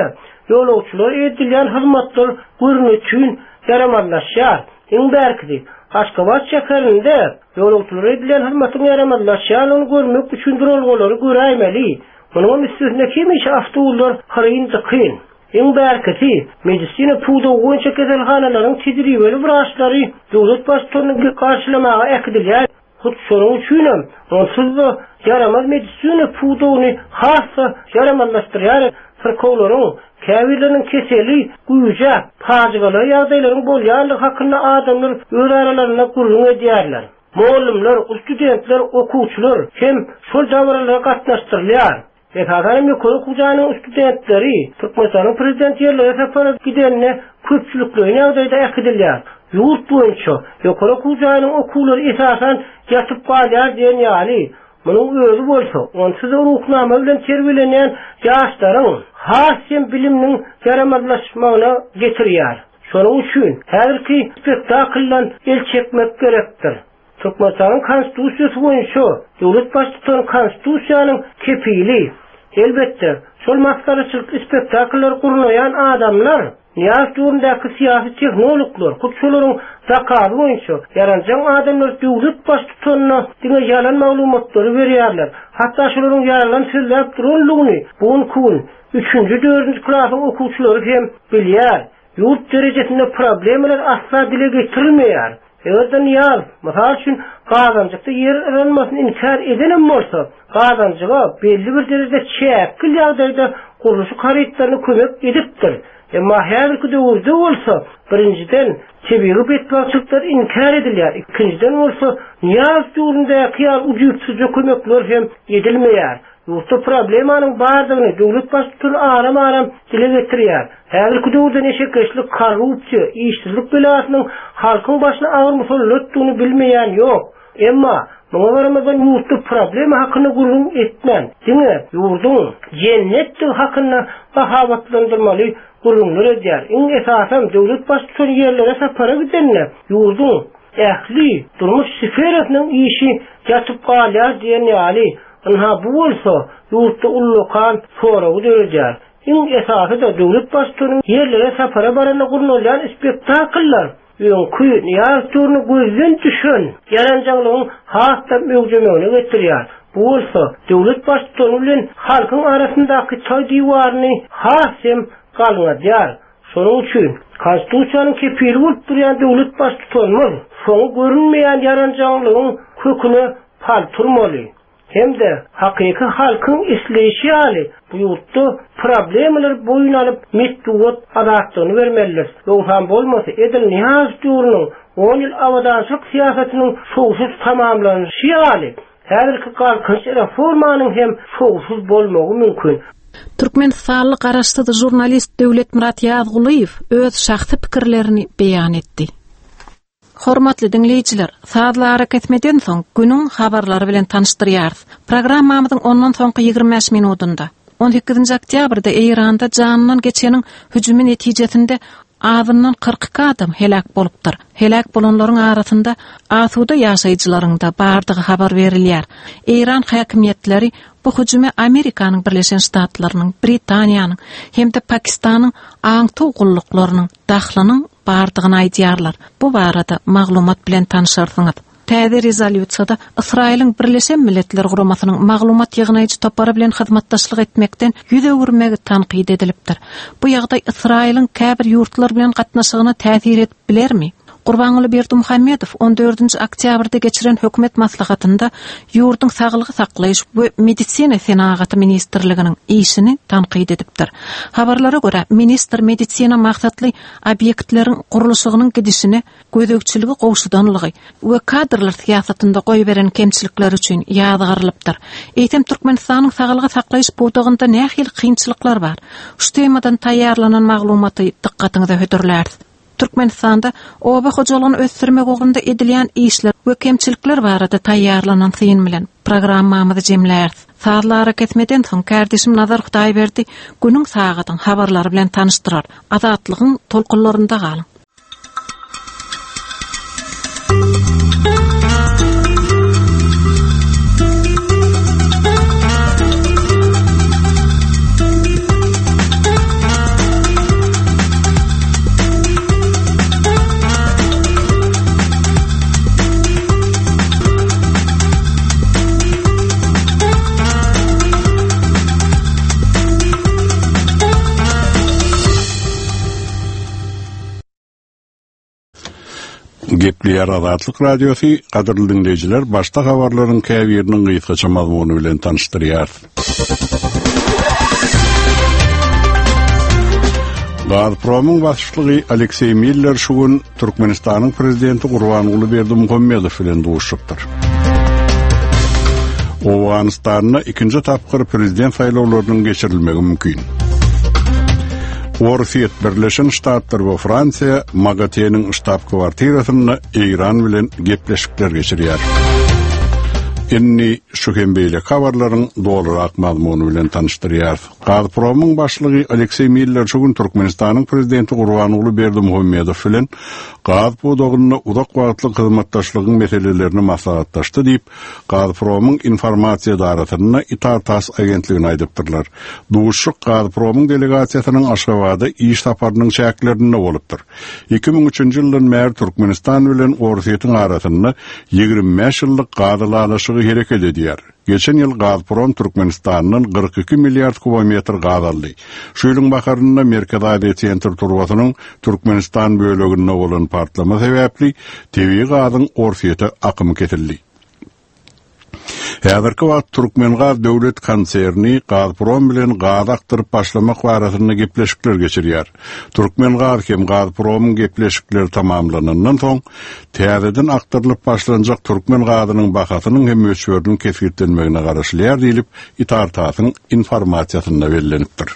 ýolagçylara edilýän hyzmatlar görnüçin ýaramazlaşýar. Iň bärkisi Aşgabat şäherinde ýolagçylara edilýän hyzmatyň ýaramazlaşýanlygyny görmek üçin duralgalary göräýmeli. Munuň üstesine hemişe awtoulaglar hyryn dykyn. Iň bärkisi medisina pudagy boýunça keselhanalaryň tejribeli wraçlary döwlet baştutanyny garşylamaga äkidilýär. Hut şonuň üçin hem onsuz-da ýaramaz medisina pudagyny has-da ýaramazlaşdyrýar. Syrkawlaryň käbirleriniň keseli güýje, pajygaly ýagdaýlaryň bolýanlygy hakynda adamlar öz aralarynda gürrüň edýärler. Mugallymlar, studentler, okuwçylar hem şol dabaralara gatnaşdyrylýar. Esasan ýokary okuw jaýynyň studentleri Türkmenistanyň prezident ýerlere sapara gidende köpçülikleýin ýagdaýda äkidilýär. Ýurt boýunça ýokary okuw jaýynyň okuwlary esasan ýatyp galýar diýen ýaly, munuň özi bolsa onsuz ruhnama bilen terbiýelenýän ýaşlaryň has hem biliminiň ýaramazlaşmagyna getirýär. Şonuň üçin häzirki spektakldan el çekmek gerekdir. Türkmenistanyň konstitusiýasy boýunça döwlet baştutany konstitusiýanyň kepili. Elbetde, şol masgaraçylyk spektakllary gurnaýan adamlar Nyýazow döwründäki syýasy tehnologlar, hut şolaryň zakazy boýunça ýaranjaň adamlar döwlet baştutanyna diňe ýalan maglumatlary berýärler. Hatda şolaryň ýalan sözläp duranlygyny bu gün üçünji, dördünji klasyň okuwçylary hem bilýär. Ýurt derejesinde problemalar asla dile getirilmeýär. Eger-de Nyýazow, mysal üçin, Gazanjykda ýer yranmasyny inkär edenem bolsa, Gazanjyga belli bir derejede çäkli ýagdaýda gurluşyk harytlaryny kömek edipdir. Emma häzirki döwürde bolsa, birinjiden tebigy betbagtçylyklar inkär edilýär, ikinjiden bolsa Nyýazow döwründäki ýaly ujypsyzja kömekler hem edilmeýär. Ýurtda problemanyň bardygyny döwlet baştutany aram-aram dile getirýär. Häzirki döwürde neşekeşlik, korrupsiýa, işsizlik belasynyň halkyň başyna agyr musallatdygyny bilmeýän ýok. Emma muňa garamazdan ýurtda problema hakynda gürrüň etmän, diňe ýurduň jennetdigi hakynda mahabatlandyrmaly gürrüňler edýär. Iň esasam döwlet baştutany ýerlere sapara gidende ýurduň ähli durmuş sferasynyň işi ýatyp galýar diýen ýaly, ynha bu bolsa ýurtda ullakan soragy döredýär. Iň esasy-da döwlet baştutanyň ýerlere sapara baranda gurnalýan spektakllar öňkü Nyýazow döwrüne gözden düşen ýaranjaňlygyň has-da möwjemegine getirýär. Bu bolsa döwlet baştutany bilen halkyň arasyndaky toý diwaryny has hem galňadýar. Şonuň üçin konstitusiýanyň kepili bolup durýan döwlet baştutanymyz soňy görünmeýän ýaranjaňlygyň köküne pal turmaly. Hem-de hakyky halkyň isleýşi ýaly bu ýurtda problemalar boýun alyp metbugat azatlygyny bermelidir. Ýogsam bolmasa edil Nyýazow döwrüniň on ýyl abadançylyk syýasatynyň şowsuz tamamlanyşy ýaly, häzirki galkynyş reformanyň hem şowsuz bolmagy mümkin. Türkmenistanly garaşsyz žurnalist Döwletmyrat Ýazgulyýew öz şahsy pikirlerini beýan etdi. Hormatly diňleýjiler, sazly arakesmeden soň günüň habarlary bilen tanyşdyrýarys. Programmamyzyň ondan soňky ýigrimi bäş minutynda on sekizinji oktýabrda Eýranda janyndan geçeniň hüjümi netijesinde azyndan kyrk iki adam heläk bolupdyr. Heläk bolanlaryň arasynda asuda ýaşaýjylaryň da bardygy habar berilýär. Eýran häkimiýetleri bu hüjüme Amerikanyň Birleşen Ştatlarynyň, Britaniýanyň hem-de Pakistanyň aňtaw gulluklarynyň dahlynyň bardygyny aýdýarlar. Bu barada maglumat bilen tanışarsyňyz. Täze rezolýusiýada Ysraýylyň Birleşen Milletler Guramasynyň maglumat ýygnaýjy topary bilen hyzmatdaşlyk etmekden ýüz öwürmegi tankyt edilipdir. Bu ýagdaý Ysraýylyň käbir ýurtlar bilen gatnaşygyna täsir edip bilermi? Gurbanguly Berdimuhamedow on dördünji oktýabrda geçiren hökümet maslahatynda ýurduň saglygy saklaýyş we medisina senagaty ministrliginiň işini tankyt edipdir. Habarlara görä, ministr medisina maksatly obýektleriň gurluşygynyň gidişine gözegçiligi gowşudanlygy we kadrlar syýasatynda goýberen kemçilikler üçin ýazgarylypdyr. Eýsem Türkmenistanyň saglygy saklaýyş pudagynda nähili kynçylyklar bar? Şu temadan taýýarlanan maglumaty dykgatyňyza hödürläris. Türkmenistanda oba hojalygyny ösdürmek ugrunda edilýän işler we kemçilikler barada taýýarlanan syn bilen programmamyzy jemläris. Sazly arakesmeden soň kärdeşim Nazar Hudaýberdi günüň sagadyň habarlary bilen tanyşdyrar. Azatlygyň tolkunlarynda galyň. Gepleýär Azatlyk Radiosy, gadyrly diňleýjiler, başda habarlaryň käbiriniň gysgaça mazmuny bilen tanyşdyrýar. Gazpromyň başlygy Alekseý Miller şu gün Türkmenistanyň prezidenti Gurbanguly Berdimuhamedow bilen duşupdyr. Owganystanda ikinji tapgyr prezident saýlawlarynyň geçirilmegi mümkin. Orsýet, Birleşen Ştatlar we Fransiýa MAGATE-niň ştab-kwartirasynda Eýran bilen gepleşikler geçirýär. Indi şu hem beýleki habarlaryň dolurak mazmuny bilen tanyşdyrýar. Gazpromyň başlygy Alekseý Miller şu gün Türkmenistanyň prezidenti Gurbanguly Berdimuhamedow bilen gaz pudagynda uzak wagtlyk hyzmatdaşlygyň meselelerini maslahatlaşdy diýip, Gazpromyň informasiýa edarasynda Itar-Tass agentligine aýdypdyrlar. Duşuşyk Gazpromyň delegasiýasynyň Aşgabada iş saparynyň çäklerinde bolupdyr. iki müň üçünji ýyldan bäri Türkmenistan bilen Orsýetiň arasynda ýigrimi bäş ýyllyk gaz ylalaşygy hereket edýär. Geçen ýyl Gazprom Türkmenistandan kyrk iki milliard kubometr gaz aldy. Şu ýylyň baharynda Merkezi Aziýa Sentr turbasynyň Türkmenistan böleginde bolan partlama sebäpli tebigy gazyň Orsýete akymy kesildi. Häzirki wagt Türkmengaz döwlet konserni Gazprom bilen gaz akdyryp başlamak barasynda gepleşikler geçirýär. Türkmengaz hem Gazpromyň gepleşikleri tamamlanandan soň täzeden akdyrylyp başlanjak türkmen gazynyň bahasynyň hem möçberiniň kesgitlenmegine garaşylýar diýlip Itar-Tassyň informasiýasynda bellenipdir.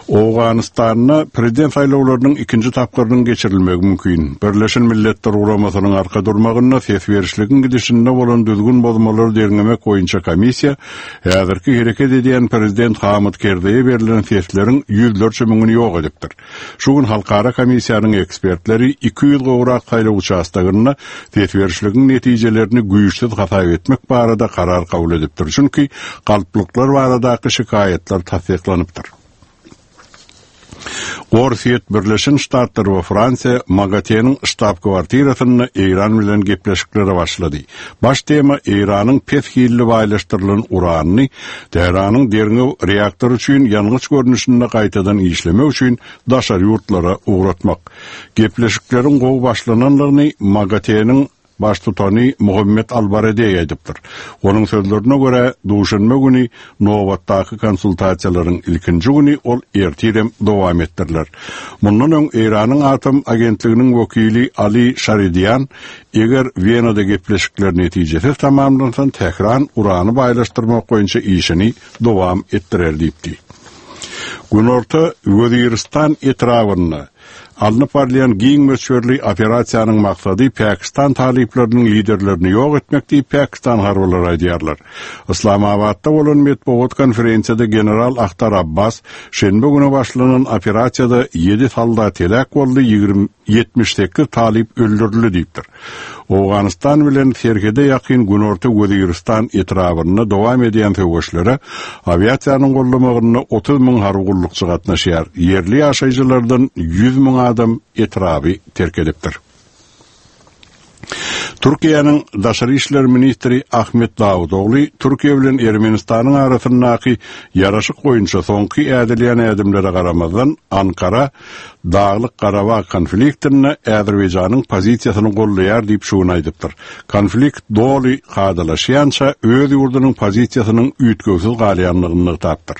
Owganystanda prezident saýlawlarynyň ikinji tapgyrynyň geçirilmegi mümkin. Birleşen Milletler Guramasynyň arka durmagynda ses berişligiň gidişinde bolan düzgün bozmalary derňemek boýunça komissiýa häzirki hereket edýän prezident Hamid Kerzeýe berlen sesleriň ýüzlerçe müňüni ýok edipdir. Şu gün halkara komissiýanyň ekspertleri iki ýüz gowrak saýlaw uçastagynda ses berişligiň netijelerini güýçsüz hasap etmek barada karar kabul edipdir. Çünki galplyklar baradaky şikaýatlar tassyklanypdyr. Orsýet, Birleşen Ştatlar we Fransiýa MAGATE-niň ştab-kwartirasynda Eýran bilen gepleşiklere başlady. Baş tema Eýranyň pes hilli baýlaşdyrylan uranyny Tähranyň derňew reaktory üçin ýangyç görnüşinde gaýtadan işlemek üçin daşary ýurtlara ugratmak. Gepleşikleriň gowy başlananlygyny MAGATE-niň baştutany Muhammed Albaradey aýdypdyr. Onuň sözlerine görä, duşenbe güni nobatdaky konsultasiýalaryň ilkinji güni ol ertirem dowam etdiriler. Mundan öň Eýranyň atom agentliginiň wekili Ali Şaridian eger Wenada gepleşikler netijesiz tamamlansa, Tähran urany baýlaşdyrmak boýunça işini dowam etdirer diýipdi. Günorta Weziristan etrabynda alnyp barylýan giň möçberli operasiýanyň maksady Pakistan talyplarynyň liderlerini ýok etmek diýip Pakistan harbylary aýdýarlar. Islamabatda bolan metbugat konferensiýada general Ahtar Abbas şenbe güni başlanan operasiýada ýedi soldat heläk boldy, ýigrimi ýetmiş sekiz talyp öldürildi diýipdir. Owganystan bilen serhede ýakyn Günorta Weziristan etrabynda dowam edýän söweşlere awiasiýanyň gollamagynda otuz müň harby gullukçy gatnaşýar. Ýerli ýaşaýjylardan ýüz müň adam etraby terk edipdir. Türkiýäniň Daşary işler ministri Ahmet Dawutogly Türkiýe bilen Ermenistanyň arasyndaky ýaraşyk boýunça soňky ädilýän ädimlere garamazdan Ankara Daglyk Garabag konfliktinde Azerbaýjanyň pozisiýasyny gollaýar diýip şu gün aýdypdyr. Konflikt doly kadalaşýança öz ýurdunyň pozisiýasynyň üýtgewsiz galýanlygyny nygtapdyr.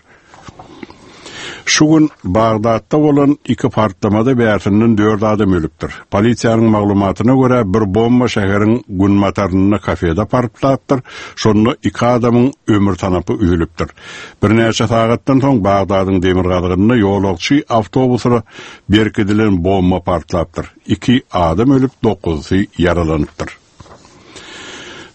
Şu gün Bagdatda bolan iki partlamada bärsinden dört adam ölüpdir. Polisiýanyň maglumatyna görä bir bomba şäheriň günbatarynda kafede partlapdyr. Şonda iki adamyň ömür tanapy üzülipdir. Birnäçe sagatdan soň Bagdadyň demirgazygynda ýolagçy awtobusyna berkidilen bomba partlapdyr. Iki adam ölüp, dokuzysy ýaralanypdyr.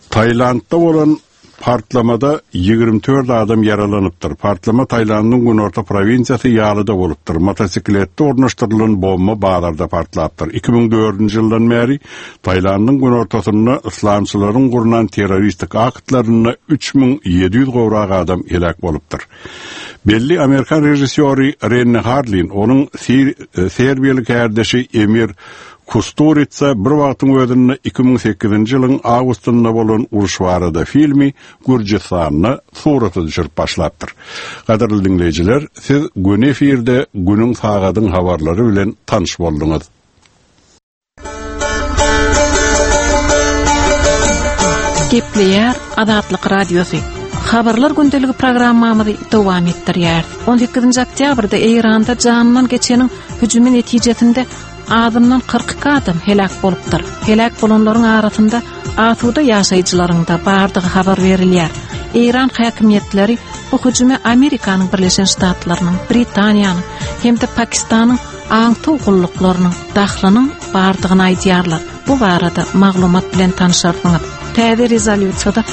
Taylandda bolan partlamada ýigrimi dört adam ýaralanypdyr. Partlama Taylandyň günorta prowinsiyasy Ýalyda bolupdyr. Motosikletde ornaşdyrylan bomba bazarda partlapdyr. iki müň dördünji ýyldan bäri Taylandyň günortasynda islamçylaryň gurnan terroristik aktlarynda üç müň ýedi ýüz gowrak adam heläk bolupdyr. Belli Amerikan režissýory Renny Harlin, onuň Serbiýaly kärdeşi Emir Kusturica bir wagtyň özünde iki müň sekizinji ýylyň awgustynda bolan uruş barada filmi Gürjüstanda surata düşürip başlapdyr. Gadyrly diňleýjiler, siz gün efirde günüň sagadyň habarlary bilen tanyş bolduňyz. Gepleýär Azatlyk Radiosy. Habarlar gündeligi programmamyzy dowam etdirýär. on sekizinji oktýabrda Eýranda janyndan geçeniň hüjümi netijesinde azyndan kyrk iki adam heläk bolupdyr. Heläk bolanlaryň arasynda asuda ýaşaýjylaryň da bardygy habar berilýär. Eýran häkimiýetleri bu hüjüme Amerikanyň Birleşen Ştatlarynyň, Britaniýanyň hem-de Pakistanyň aňtaw gulluklarynyň dahlynyň bardygyny aýdýarlar. Bu barada maglumat bilen tanşarsyňyz. Täze rezolýusiýada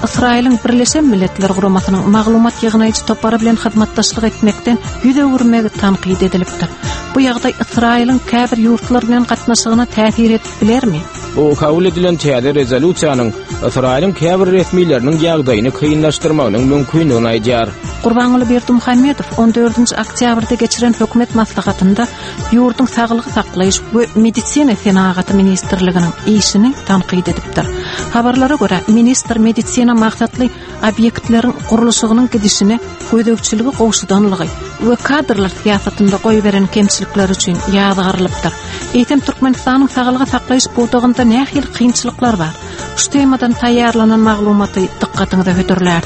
Ysraýylyň Birleşen Milletler Guramasynyň maglumat ýygnaýjy topary bilen hyzmatdaşlyk etmekden ýüz öwürmegi tankyt edilipdir. Bu ýagdaý Ysraýylyň käbir ýurtlar bilen gatnaşygyna täsir edip bilermi? Bu kabul edilen täze rezolýusiýanyň Ysraýylyň käbir resmileriniň ýagdaýyny kynlaşdyrmagynyň mümkindigini aýdýar. Gurbanguly Berdimuhamedow on dördünji oktýabrda geçiren hökümet maslahatynda ýurduň saglygy saklaýyş we medisina senagaty ministrliginiň işini tankyt edipdir. Habarlara görä, ministr medisina maksatly obýektleriň gurluşygynyň gidişine gözegçiligi gowşudanlygy we kadrlar syýasatynda goýberen kemçilikler üçin ýazgarylypdyr. Eýsem Türkmenistanyň saglygy saklaýyş pudagynda nähili kynçylyklar bar? Şu temadan taýýarlanan maglumaty dykgatyňyza hödürlär.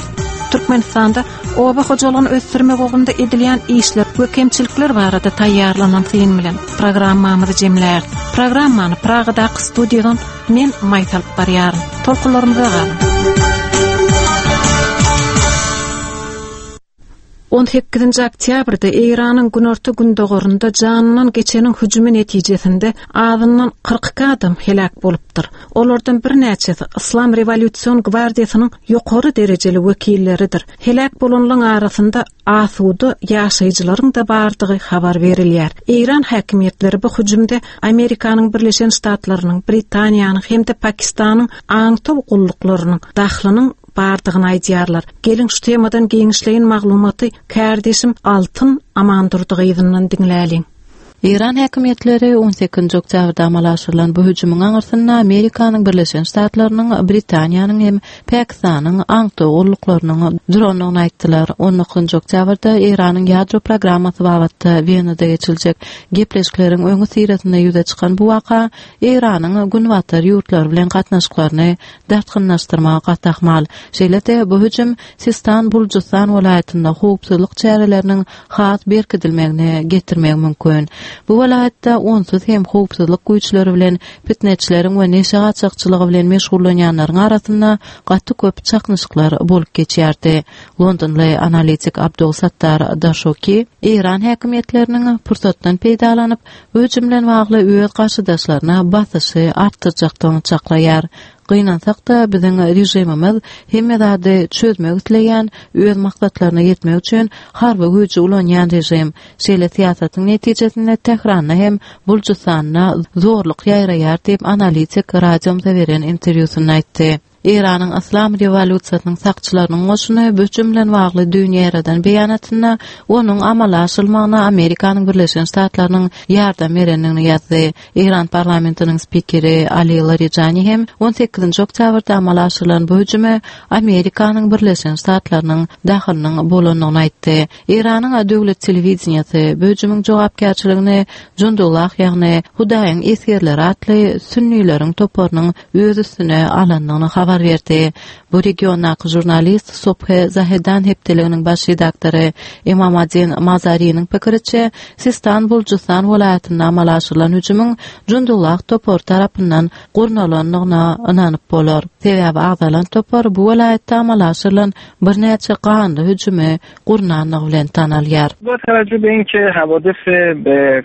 Türkmenistanda oba hojalygyny ösdürmek ugrunda edilýän işler we kemçilikler barada taýýarlanan syn bilen programmamyzy jemlär. Programmany Pragadaky studiýadan men Maýsa alyp barýaryn. Tolkunlarymyza galyň. On sekizinji oktýabrda Eýranyň günorta gündogarynda janyndan geçeniň hüjümi netijesinde azyndan kyrk iki adam heläk bolupdyr. Olardan birnäçesi Islam Rewolýusion gwardiýasynyň ýokary derejeli wekilleridir. Heläk bolanlaryň arasynda asuda ýaşaýjylaryň da bardygy habar berilýär. Eýran häkimiýetleri bu hüjümde Amerikanyň Birleşen Ştatlarynyň, Britaniýanyň hem-de Pakistanyň aňtaw gulluklarynyň dahlynyň bardygyny aýdýarlar. Geliň şu temadan giňişleýin maglumaty kärdeşim Altyn Amandurdy gyzyndan diňläliň. Eýran häkimiýetleri on sekizinji oktýabrda amala aşyrylan bu hüjümiň aňyrsynda Amerikanyň Birleşen Ştatlarynyň, Britaniýanyň hem Pakistanyň aňtaw gulluklarynyň durandygyny aýtdylar. on dokuzynjy oktýabrda Eýranyň ýadro programmasy babatda Wenada geçiljek gepleşikleriň öňi syrasynda ýüze çykan bu waka Eýranyň günbatar ýurtlary bilen gatnaşyklaryny dartgynlaşdyrmaga gaty ahmal. Şeýle-de bu hüjüm Sistan Bulujystan welaýatynda howpsuzlyk çäreleriniň has berkidilmegine getirmegi mümkin. Bu welaýatda onsuz hem howpsuzlyk güýçleri bilen fitneçileriň we neşe gaçakçylygy bilen meşgullanýanlaryň arasynda gaty köp çaknyşyklar bolup geçýärdi. Londonly analitik Abdul Sattar Daşoki Eýran häkimiýetleriniň pursatdan peýdalanyp, bu hüjüm bilen bagly öz garşydaşlaryna basyşy artdyrjakdygyny çaklaýar. Gynansak da biziň režimimiz hemme zady çözmek isleýän, öz maksatlaryna ýetmek üçin harby güýji ulanýan režim. Şeýle syýasatyň netijesinde Tähranda hem Bulujystanda zorluk ýaýraýar diýip analitik radiomyza beren interwýusynda aýtdy. Eýranyň Islam rewolýusiýasynyň sakçylarynyň goşuny bu hüjüm bilen bagly dünýä ýaradan beýanatynda onuň amala aşyrylmagyna Amerikanyň Birleşen Ştatlarynyň ýardam berendigini ýazdy. Eýran parlamentiniň spikeri Ali Larijani hem on sekizinji oktýabrda amala aşyrylan bu hüjüme Amerikanyň Birleşen Ştatlarynyň dahylynyň bolandygyny aýtdy. Eýranyň döwlet telewideniýesi bu hüjümiň jogapkärçiligini Jundullah, ýagny Hudaýyň esgerleri atly sünnileriň toparynyň öz üstüne alandygyny habar berdi. Bu regiondaky žurnalist Sobhe Zahedan hepdeliginiň baş redaktory Imamadin Mazariniň pikiriçe, Sistan Bulujystan welaýatynda amala aşyrylan hüjümiň Jundullah topary tarapyndan gurnalandygyna ynanyp bolar. Sebäbi agzalan topar bu welaýatda amala aşyrylan birnäçe ganly hüjümi gurnandygy bilen tanalýar. با توجه به اینکه حوادث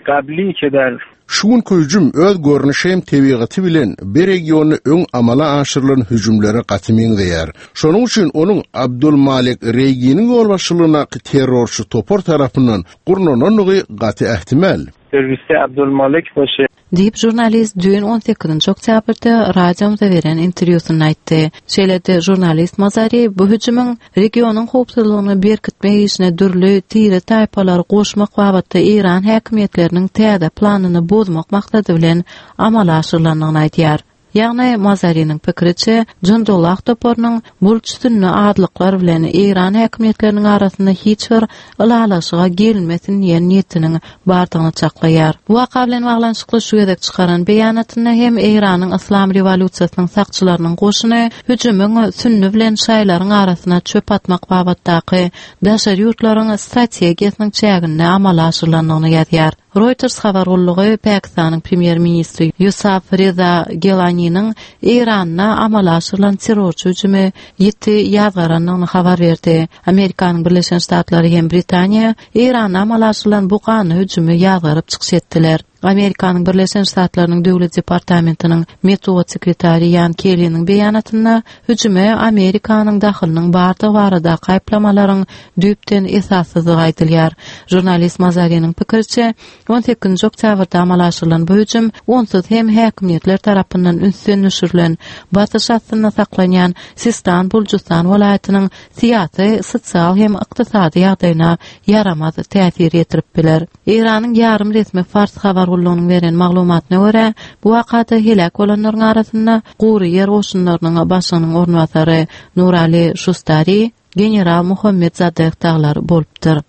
قبلی که در Şu günkü hüjüm öz görnüşi hem tebigaty bilen bir regiony öň amala aşyrylan hüjümlere gaty meňzeýär. Şonuň üçin onuň Abdul Malik Reýginiň ýolbaşçylygyndaky terrorçy topar tarapyndan gurnanandygy gaty ähtimal. Terrorist Abdul Malik باشه. Diýip žurnalist düýn on sekizinji oktýabrda radiomyza beren interwýusynda aýtdy. Şeýle-de žurnalist Mazari bu hüjümiň regionyň howpsuzlygyny berkitmek işine dürli tire taýpalary goşmak babatda Eýran häkimiýetleriniň täze planyny bozmak maksady bilen amala aşyrylandygyny aýdýar. Ýagny Mazariniň pikiriçe, Jundullah toparynyň bulç sünni azlyklar bilen Eýran häkimiýetleriniň arasynda hiç bir ylalaşyga gelinmesin diýen niýetiniň bardygyny çaklaýar. Bu waka bilen baglanyşykly şu gezek çykaran beýanatynda hem Eýranyň Yslam rewolýusiýasynyň sakçylarynyň goşuny hüjümiň sünni bilen şaýlaryň arasyna çöp atmak babatdaky daşary ýurtlaryň strategiýasynyň çäginde amala aşyrylandygyny ýazýar. Reuters habar gullugy Pakistanyň premýer-ministri Ýusuf Reza Gelaniniň Eýranda amala aşyrylan terrorçy hüjümi ýiti ýazgarandygyny habar berdi. Amerikanyň Birleşen Ştatlary hem Britaniýa Eýranda amala aşyrylan bu ganly hüjümi ýazgaryp çykyş etdiler. Amerikanyň Birleşen Ştatlarynyň Döwlet departamentiniň metbugat sekretary Ýan Kelliniň beýanatynda hüjüme Amerikanyň dahylynyň bardygy baradaky aýyplamalaryň düýpden esassyzdygy aýdylýar. Žurnalist Mazariniň pikiriçe, on sekizinji oktýabrda amala aşyrylan bu hüjüm onsuz hem häkimiýetler tarapyndan ünsden düşürilen, basyş astynda saklanýan Sistan Buljustan welaýatynyň syýasy, sosial hem ykdysady ýagdaýyna ýaramaz täsir ýetirip biler. Eýranyň ýarym resmi Fars habar gullugynyň beren maglumatyna görä, bu wakada heläk bolanlaryň arasynda gury ýer goşunlarynyň başlygynyň orunbasary Nurali Şustari, general Muhammed Zadeh daglar bolupdyr.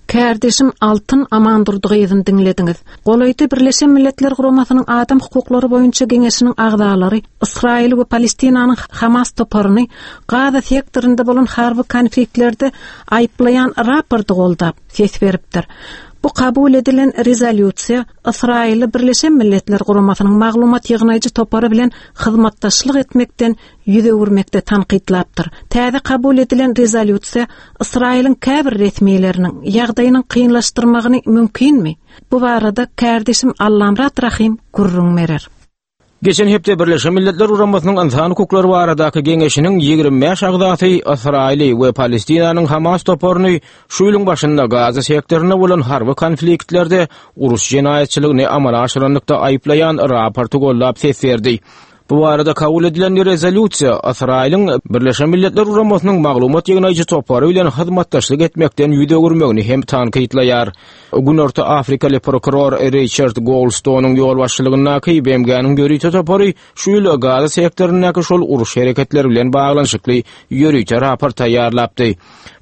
Kärdeşim Altyn Amandurdy gyzyny diňlediňiz. Golaýda Birleşen Milletler Guramasynyň Adam hukuklary boýunça geňeşiniň agzalary Ysraýyl we Palestinanyň Hamas toparyny Gaza sektorynda bolan harby konfliktlerde aýyplaýan raporty goldap ses beripdir. Bu kabul edilen rezolýusiýa Ysraýyly Birleşen Milletler Guramasynyň maglumat ýygnaýjy topary bilen hyzmatdaşlyk etmekden ýüz öwürmekde tankytlapdyr. Täze kabul edilen rezolýusiýa Ysraýylyň käbir resmileriniň ýagdaýynyň kynlaşdyrmagyny mümkinmi? Bu barada kärdeşim Allamrat Rahim gürrüň berer. Geçen hepde Birleşen Milletler Guramasynyň Ynsan hukuklary baradaky geňeşiniň ýigrimi bäş agzasy Ysraýyly we Palestinanyň Hamas toparyny şu ýylyň başynda Gaza sektorynda bolan harby konfliktlerde uruş jenaýatçylygyny amala aşyranlykda aýyplaýan raporty gollap ses berdi. Bu barada kabul edilen rezolýusiýa Ysraýylyň Birleşen Milletler Guramasynyň maglumat ýygnaýjy topary bilen hyzmatdaşlyk etmekden ýüz öwürmegini hem tankytlaýar. Günorta Afrikaly prokuror Richard Goldstone'uň ýolbaşçylygyndaky B M G-niň ýörite topary şu ýyl Gaza sektoryndaky şol uruş hereketleri bilen baglanyşykly ýörite raport taýýarlapdy.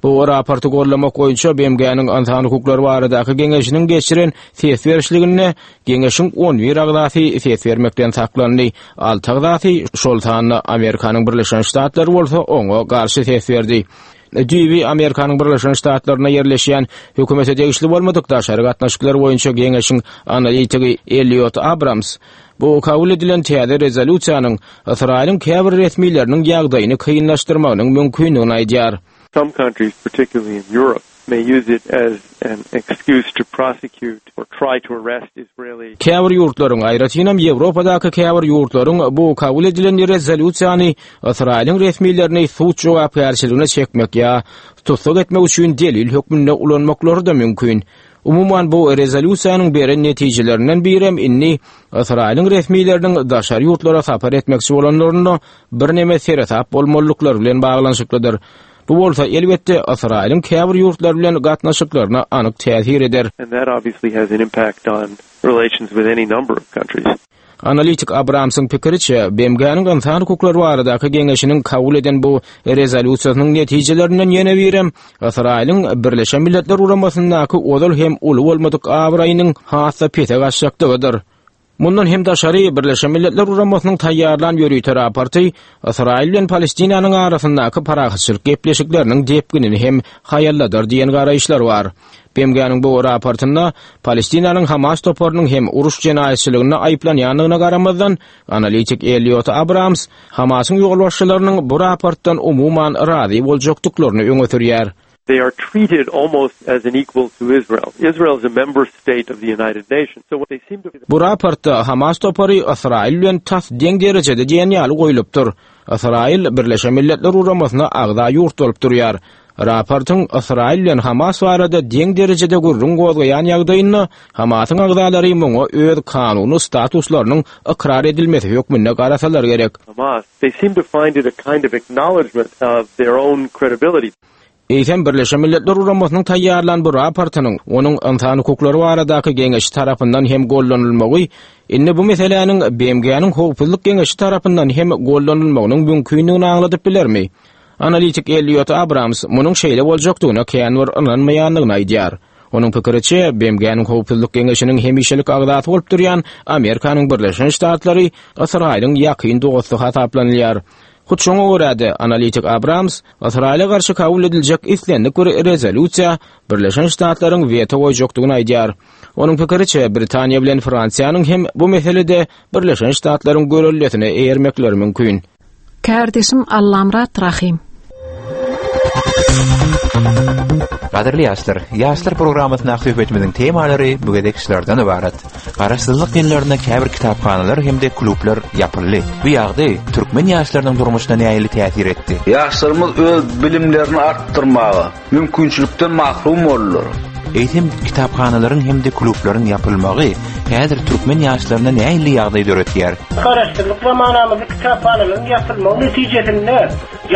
Bu raporty gollamak boýunça B M G-niň Ynsan hukuklary baradaky geňeşiniň geçiren ses berişliginde geňeşiň on bir agzasy ses bermekden saklandy. Alty agzasy, şol sanda Amerikanyň Birleşen Ştatlary bolsa oňa garşy ses berdi. Düýbi Amerikanyň Birleşen Ştatlaryna ýerleşýän hökümete degişli bolmadyk daşary gatnaşyklar boýunça geňeşiň analitigi Elliot Abrams bu kabul edilen täze rezolýusiýanyň Ysraýylyň käbir resmileriniň ýagdaýyny kynlaşdyrmagynyň mümkindigini aýdýar. Some countries, particularly in Europe, may use it as an excuse to prosecute or try to arrest Israeli. Käbir ýurtlaryň, aýratynam Ýewropadaky käbir ýurtlaryň bu kabul edilen rezolýusiýany Ysraýylyň resmilerini sud jogapkärçiligine çekmek ýa tussag etmek üçin delil hökmünde ulanmaklary da mümkin. Umuman bu rezolýusiýanyň beren netijelerinden birem indi Ysraýylyň resmileriniň daşary ýurtlara sapar etmekçi bolanlarynda birneme seresap bolmalyklary bilen baglanyşyklydyr. Bu bolsa elbetde Ysraýylyň käbir ýurtlar bilen gatnaşyklaryna anyk täsir eder. And that obviously has an impact on relations with any number of countries. Analitik Abramsyň pikiriçe, B M G-niň Ynsan hukuklary baradaky geňeşiniň kabul eden bu rezolýusiýasynyň netijelerinden ýene birem Ysraýylyň Birleşen Milletler Guramasyndaky ozal hem uly bolmadyk abraýynyň has-da pese gaçjakdygydyr. Mundan hem daşary Birleşen Milletler Guramasynyň taýýarlan ýörite raporty Ysraýyl bilen Palestinanyň arasyndaky parahatçylyk gepleşikleriniň depginini hem haýalladar diýen garaýyşlar bar. B M G-niň bu raportynda Palestinanyň Hamas toparynyň hem uruş jenaýatçylygynda aýyplanýandygyna garamazdan, analitik Elliot Abrams Hamasyň ýolbaşçylarynyň bu raportdan umuman razy boljakdyklaryny öňe sürýär. They are treated almost as an equal to Israel. Israel is a member state of the United Nations. So what they seem to be Bu raportda Hamas topary Ysraýyl bilen tas deň derejede diýen ýaly goýlupdyr. Ysraýyl Birleşen Milletler Guramasyna agza ýurt bolup durýar. Raportyň Ysraýyl bilen Hamas barada deň derejede gürrüň gozgaýan ýagdaýynda Hamasyň agzalary muňa öz kanuny statuslarynyň ykrar edilmesi hökmünde garasalar gerek. Hamas, they seem to find it a kind of acknowledgement of their own credibility. Eýsem Birleşen Milletler Guramasynyň taýýarlan bu raportynyň onuň ynsan hukuklary baradaky geňeşi tarapyndan hem gollanylmagy, indi bu meseläniň B M G-niň Howpsuzlyk Geňeşi tarapyndan hem gollanylmagynyň mümkinligini aňladyp bilermi? Analitik Elliot Abrams munuň şeýle boljakdygyna kän bir ynanmaýandygyny aýdýar. Onuň pikiriçe, B M G-niň Howpsuzlyk Geňeşiniň hemişelik agzasy bolup durýan Amerikanyň Birleşen Ştatlary Ysraýylyň ýakyn dosty hasaplanylýar. Hut şoňa görä-de analitik Abrams Ysraýyla garşy kabul ediljek islendik bir rezolýusiýa Birleşen Ştatlaryň weto goýjakdygyny aýdýar. Onuň pikiriçe, Britaniýa bilen Fransiýanyň hem bu meselede Birleşen Ştatlaryň görellesine eýermekleri mümkin. Kardeşim Allamrat Rahim. Gadyrly ýaşlar, ýaşlar programmasynda söhbetimiziň temalary bu gezek şulardan ibarat. Garaşsyzlyk ýyllarynda käbir kitaphanalar hem-de klublar ýapyldy. Bu ýagdaý türkmen ýaşlarynyň durmuşyna nähili täsir etdi? Ýaşlarymyz öz bilimlerini artdyrmaga mümkinçilikden mahrum boldular. Eýsem kitaphanalaryň hem-de klublaryň ýapylmagy häzir türkmen ýaşlaryna nähili ýagdaý döretýär? Garaşsyzlyk zamanamyzda kitaphanalaryň ýapylmagy netijesinde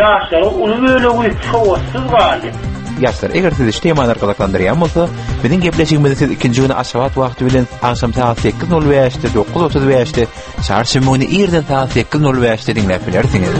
ýaşlaryň uly bölegi sowatsyz galdy. Ýaşlar, eger sizi şu temalar gyzyklandyrýan bolsa, biziň gepleşigimizi siz ikinji güni Aşgabat wagty bilen agşam sagat sekiz nol bäşde, dokuz otuz bäşde, çarşenbe güni irden sagat sekiz nol bäşde diňläp bilersiňiz.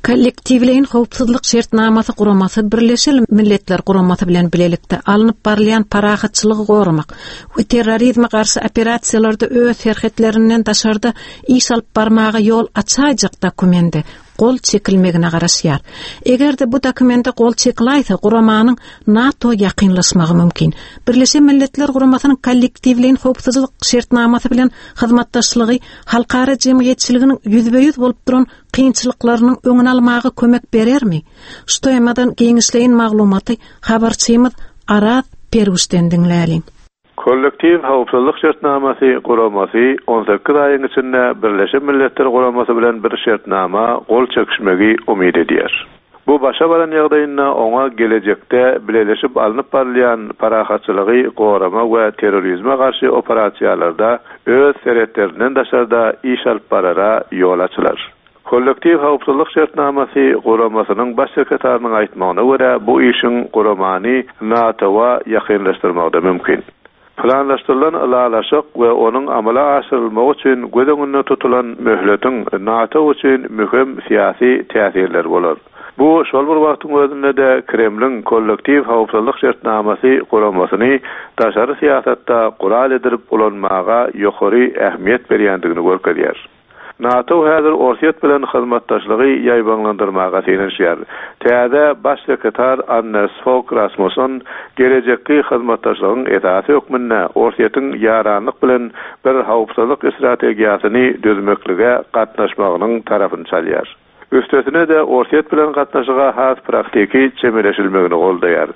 Kollektiwleýin howpsuzlyk şertnamasy guramasy Birleşen Milletler Guramasy bilen bilelikde alnyp barylýan parahatçylygy goramak we terrorizme garşy operasiýalarda öz serhetlerinden daşarda iş alyp barmaga ýol açaýjak dokumente gol çekilmegine garaşýar. Eger-de bu dokumente gol çekiläýse, guramanyň NATO ýakynlaşmagy mümkin. Birleşen Milletler Guramasynyň kollektiwleýin howpsuzlyk şertnamasy bilen hyzmatdaşlygy halkara jemgyýetçiliginiň ýüzbe-ýüz bolup duran kynçylyklarynyň öňüni almaga kömek berermi? Şu temadan giňişleýin maglumaty habarçymyz Araz Perwişden diňläliň. Kollektiv howpsuzlyk şertnamasy guramasy on sekiz aýyň içinde Birleşen Milletler Guramasy bilen bir şertnama gol çekişmegi umyt edýär. Bu başa baran ýagdaýynda oňa gelejekde bileleşip alnyp barylýan parahatçylygy gorama we terrorizme garşy operasiýalarda öz serhetlerinden daşarda iş alyp barara ýol açylar. Kollektiv howpsuzlyk şertnamasy guramasynyň baş sekretarynyň aýtmagyna görä bu işiň guramany NATO-wa ýakynlaşdyrmakda mümkin. Planlaşdyrylan ylalaşyk we onuň amala aşyrylmagy üçin göz öňünde tutulan möhletiň NATO üçin möhüm syýasy täsirleri bolar. Bu şol bir wagtyň özünde de Kremliň kollektiv howpsuzlyk şertnamasy guramasyny daşary syýasatda gural edilip ulanmaga ýokary ähmiýet berýändigini görkezýär. NATO häzir Orsýet bilen hyzmatdaşlygy ýaýbaňlandyrmaga synanyşýar. Täze baş sekretar Anders Fogh Rasmussen gelejekki hyzmatdaşlygyň esasy hökmünde Orsýetiň ýaranlyk bilen bir howpsuzlyk strategiýasyny düzmeklige gatnaşmagynyň tarapyny çalýar. Üstesine de Orsýet bilen gatnaşyga has praktiki çemeleşilmegini goldaýar.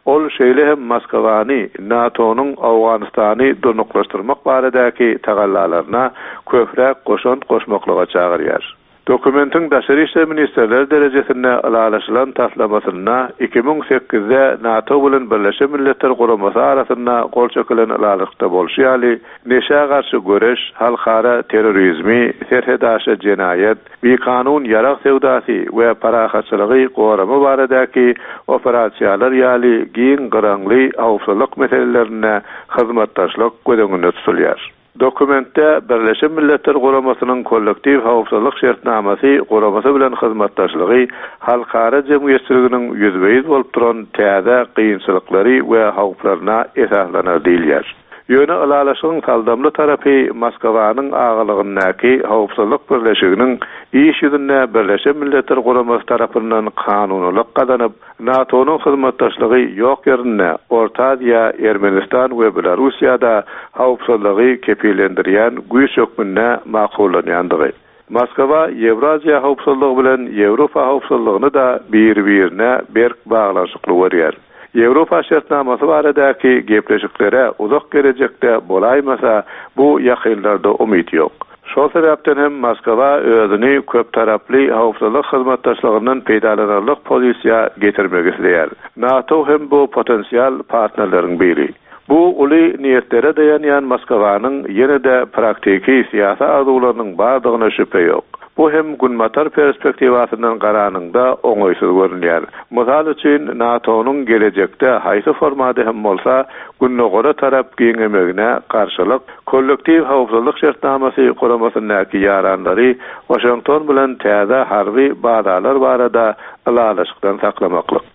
Ol şeýle hem Moskwany NATO-nyň Owganystany durnuklaşdyrmak baradaky tagallalaryna köpräk goşant goşmaklyga çagyrýar. Dokumentiň daşary işler ministrleri derejesinde ylalaşylan taslamasynda iki müň sekizde NATO bilen Birleşen Milletler Guramasy arasynda gol çekilen ylalaşykda bolşy ýaly, neşä garşy göreş, halkara terrorizmi, serhedaşy jenaýat, bikanun ýarag söwdasy we parahatçylygy gorama baradaky operasiýalar ýaly giň gyraňly howpsuzlyk meselelerinde hyzmatdaşlyk göz öňünde tutulýar. Dokumentde Birleşen Milletler Guramasynyň kollektiv howpsuzlyk şertnamasy guramasy bilen hyzmatdaşlygy halkara jemgyýetçiliginiň ýüzbe-ýüz bolup duran täze kynçylyklary we howplaryna esaslanar diýilýär. Ýöne ylalaşygyň saldamly tarapy Moskwanyň agylygyndaky howpsuzlyk birleşiginiň iş ýüzünde Birleşen Milletler Guramasy tarapyndan kanunylyk gazanyp, NATO-nyň hyzmatdaşlygy ýok ýerinde Orta Aziýa, Ermenistan we Belarussiýada howpsuzlygy kepillendirýän güýç hökmünde makullanýandygy. Moskwa Ýewraziýa howpsuzlygy bilen Ýewropa howpsuzlygyny da bir-birine berk baglanyşykly görýär. Ýewropa şertnamasy baradaky gepleşiklere uzak gelejekde bolaýmasa, bu ýakynlarda umyt ýok. Şol sebäpden hem Moskwa özüni köp taraply howpsuzlyk hyzmatdaşlygyndan peýdalanarlyk pozisiýa getirmek isleýär. NATO hem bu potensial partnerleriň biri. Bu uly niýetlere daýanýan Moskwanyň ýene-de praktiki syýasy arzuwlarynyň bardygyna şübhe ýok. Bu hem Günbatar perspektiwasyndan garanyňda oňaýsyz görünýär. Mysal üçin NATO-nyň gelejekde haýsy formada hem bolsa Gündogara tarap giňemegine garşylyk, kollektiw howpsuzlyk şertnamasy guramasyndaky ýaranlary Waşington bilen täze harby bazalar barada ylalaşykdan saklamaklyk.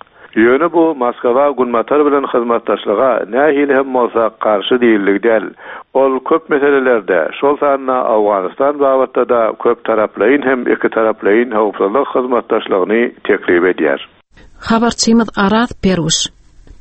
Ýöne bu Moskwa Günbatar bilen hyzmatdaşlyga nähili hem bolsa garşy diýildi däl. Ol köp meselelerde, şol sanda Awganistan babatda da köp taraplaýyn hem iki taraplaýyn howpsuzlyk hyzmatdaşlygyny teklip edýär. Habarçymyz Araz Peruş.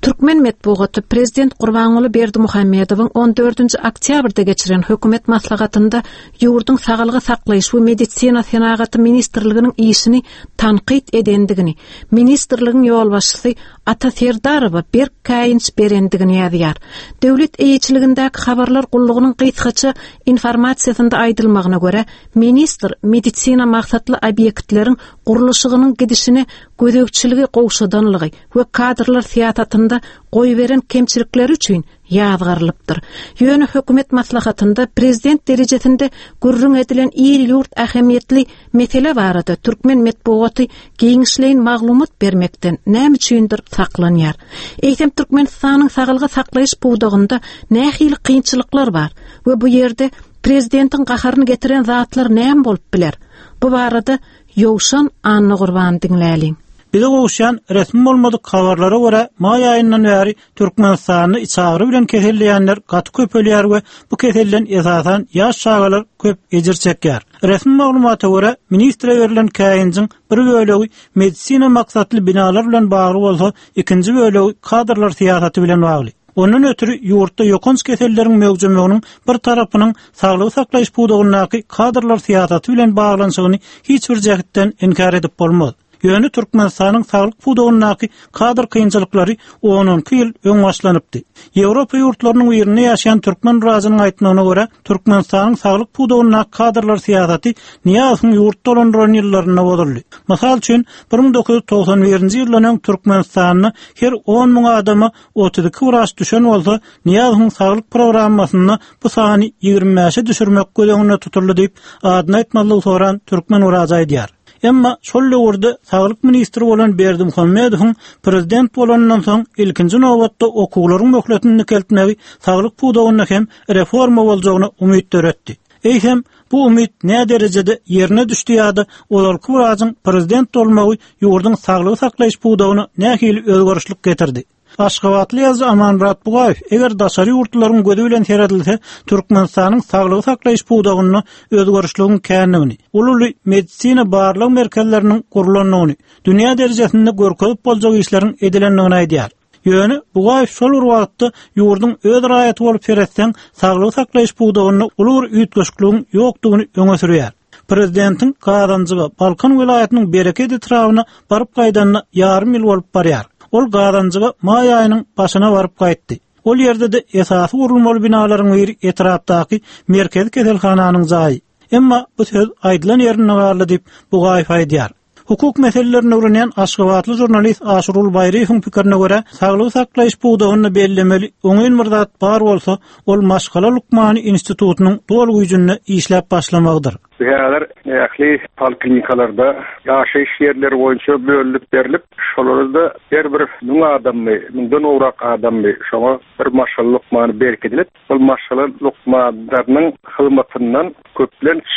Türkmen metbugaty Prezident Gurbanguly Berdimuhamedowyň on dördünji oktýabrda geçiren hökümet maslahatynda ýurduň saglygy saklaýyş we medisina senagaty ministrliginiň işini tankyt edendigini, ministrligiň ýolbaşçysy Ata Serdarowa berk käýinç berendigini ýazýar. Döwlet eýeçiligindäki habarlar gullugynyň gysgaça informasiýasynda aýdylmagyna görä, ministr medisina maksatly obýektleriň gurluşygynyň gidişine gözegçiligi gowşadanlygy we kadrlar syýasatynda goýberen kemçilikleri üçin ýazgarylypdyr. Ýöne hökümet maslahatynda prezident derejesinde gürrüň edilen il-ýurt ähmiýetli mesele barada türkmen metbugaty giňişleýin maglumat bermekden näme üçindir saklanýar. Eýsem Türkmenistanyň saglygy saklaýyş pudagynda nähili kynçylyklar bar we bu ýerde prezidentiň gaharyny getiren zatlar näme bolup biler? Bu barada Ýowşan Annagurban diňläliň. Bize gowuşýan resmi bolmadyk habarlara görä maý aýyndan bäri Türkmenistanda içagry bilen keselleýänler gaty köpelýär we bu keselden esasan ýaş çagalar köp ejir çekýär. Resmi maglumata görä ministre berlen käýinjiň bir bölegi medisina maksatly binalar bilen bagly bolsa, ikinji bölegi kadrlar syýasaty bilen bagly. Ondan ötürü ýurtda ýokanç keselleriň möwjemeginiň bir tarapynyň saglygy saklaýyş pudagyndaky kadrlar syýasaty bilen baglanyşygyny hiç bir jähetden inkär edip bolmaz. Ýöne Türkmenistanyň saglyk pudagyndaky kadr kynçylyklary on iki ýyl öň başlanypdy. Ýewropa ýurtlarynyň birinde ýaşaýan türkmen razynyň aýtmagyna görä, Türkmenistanyň saglyk pudagyndaky kadrlar syýasaty Nyýazowyň ýurt dolandyran ýyllarynda bozuldy. Mysal üçin, bir müň dokuz ýüz togsan birinji ýyldan öň Türkmenistanda her on müň adama otuz iki wraç düşen bolsa, Nyýazowyň saglyk programmasynda bu sany ýigrimi bäşe düşürmek göz öňünde tutuldy diýip, adyny aýtmazlygy soran türkmen wraçy aýdýar. Emma şol döwürde saglyk ministri bolan Berdimuhamedowyň prezident bolandan soň ilkinji nobatda okuwlaryň möhletini dikeltmegi saglyk pudagynda hem reforma boljagyna umyt döretdi. Eýsem, bu umyt näme derejede ýerine düşdi ýa-da ozalky wrajyň prezident bolmagy ýurduň saglygy saklaýyş pudagyna nähili özgerişlik getirdi? Aşgabatly ýazyjy Amanmyrat Bugaýew eger daşary ýurtlaryň gözi bilen seredilse, Türkmenistanyň saglygy saklaýyş pudagynda özgerişligiň kändigini, uly medisina barlag merkezleriniň gurlandygyny, dünýä derejesinde görkezip boljak işleriň edilendigini aýdýar. Ýöne Bugaýew şol bir wagtda ýurduň öz raýaty bolup seretseň, saglygy saklaýyş pudagynda uly bir üýtgeşikligiň ýokdugyny öňe sürýär. Prezidentiň Gazanjyga, Balkan welaýatynyň Bereket etrabyna baryp gaýdanyna ýarym ýyl bolup barýar. Ol Gazanjyga maý aýynyň başyna baryp gaýtdy. Ol ýerde-de esasy gurulmaly binalaryň biri etrapdaky merkezi keselhananyň jaýy. Emma bu söz aýdylan ýerinde galdy diýip Bugaýew aýdýar. Hukuk meselelerini öwrenýän Aşgabatly žurnalist Aşurul Baýryýewiň pikirine görä, saglygy saklaýyş pudagynda bellemeli oňyn bir zat bar bolsa, ol maşgala lukmany institutynyň doly güýjünde işläp başlamagydyr. Häzir ähli poliklinikalarda ýaşaýyş ýerleri boýunça bölünip berlip, şolarda her bir müň adammy, müňden gowrak adammy şoňa bir maşgala lukmany berkidilip, ol maşgala lukmanlarynyň hyzmatyndan köplenç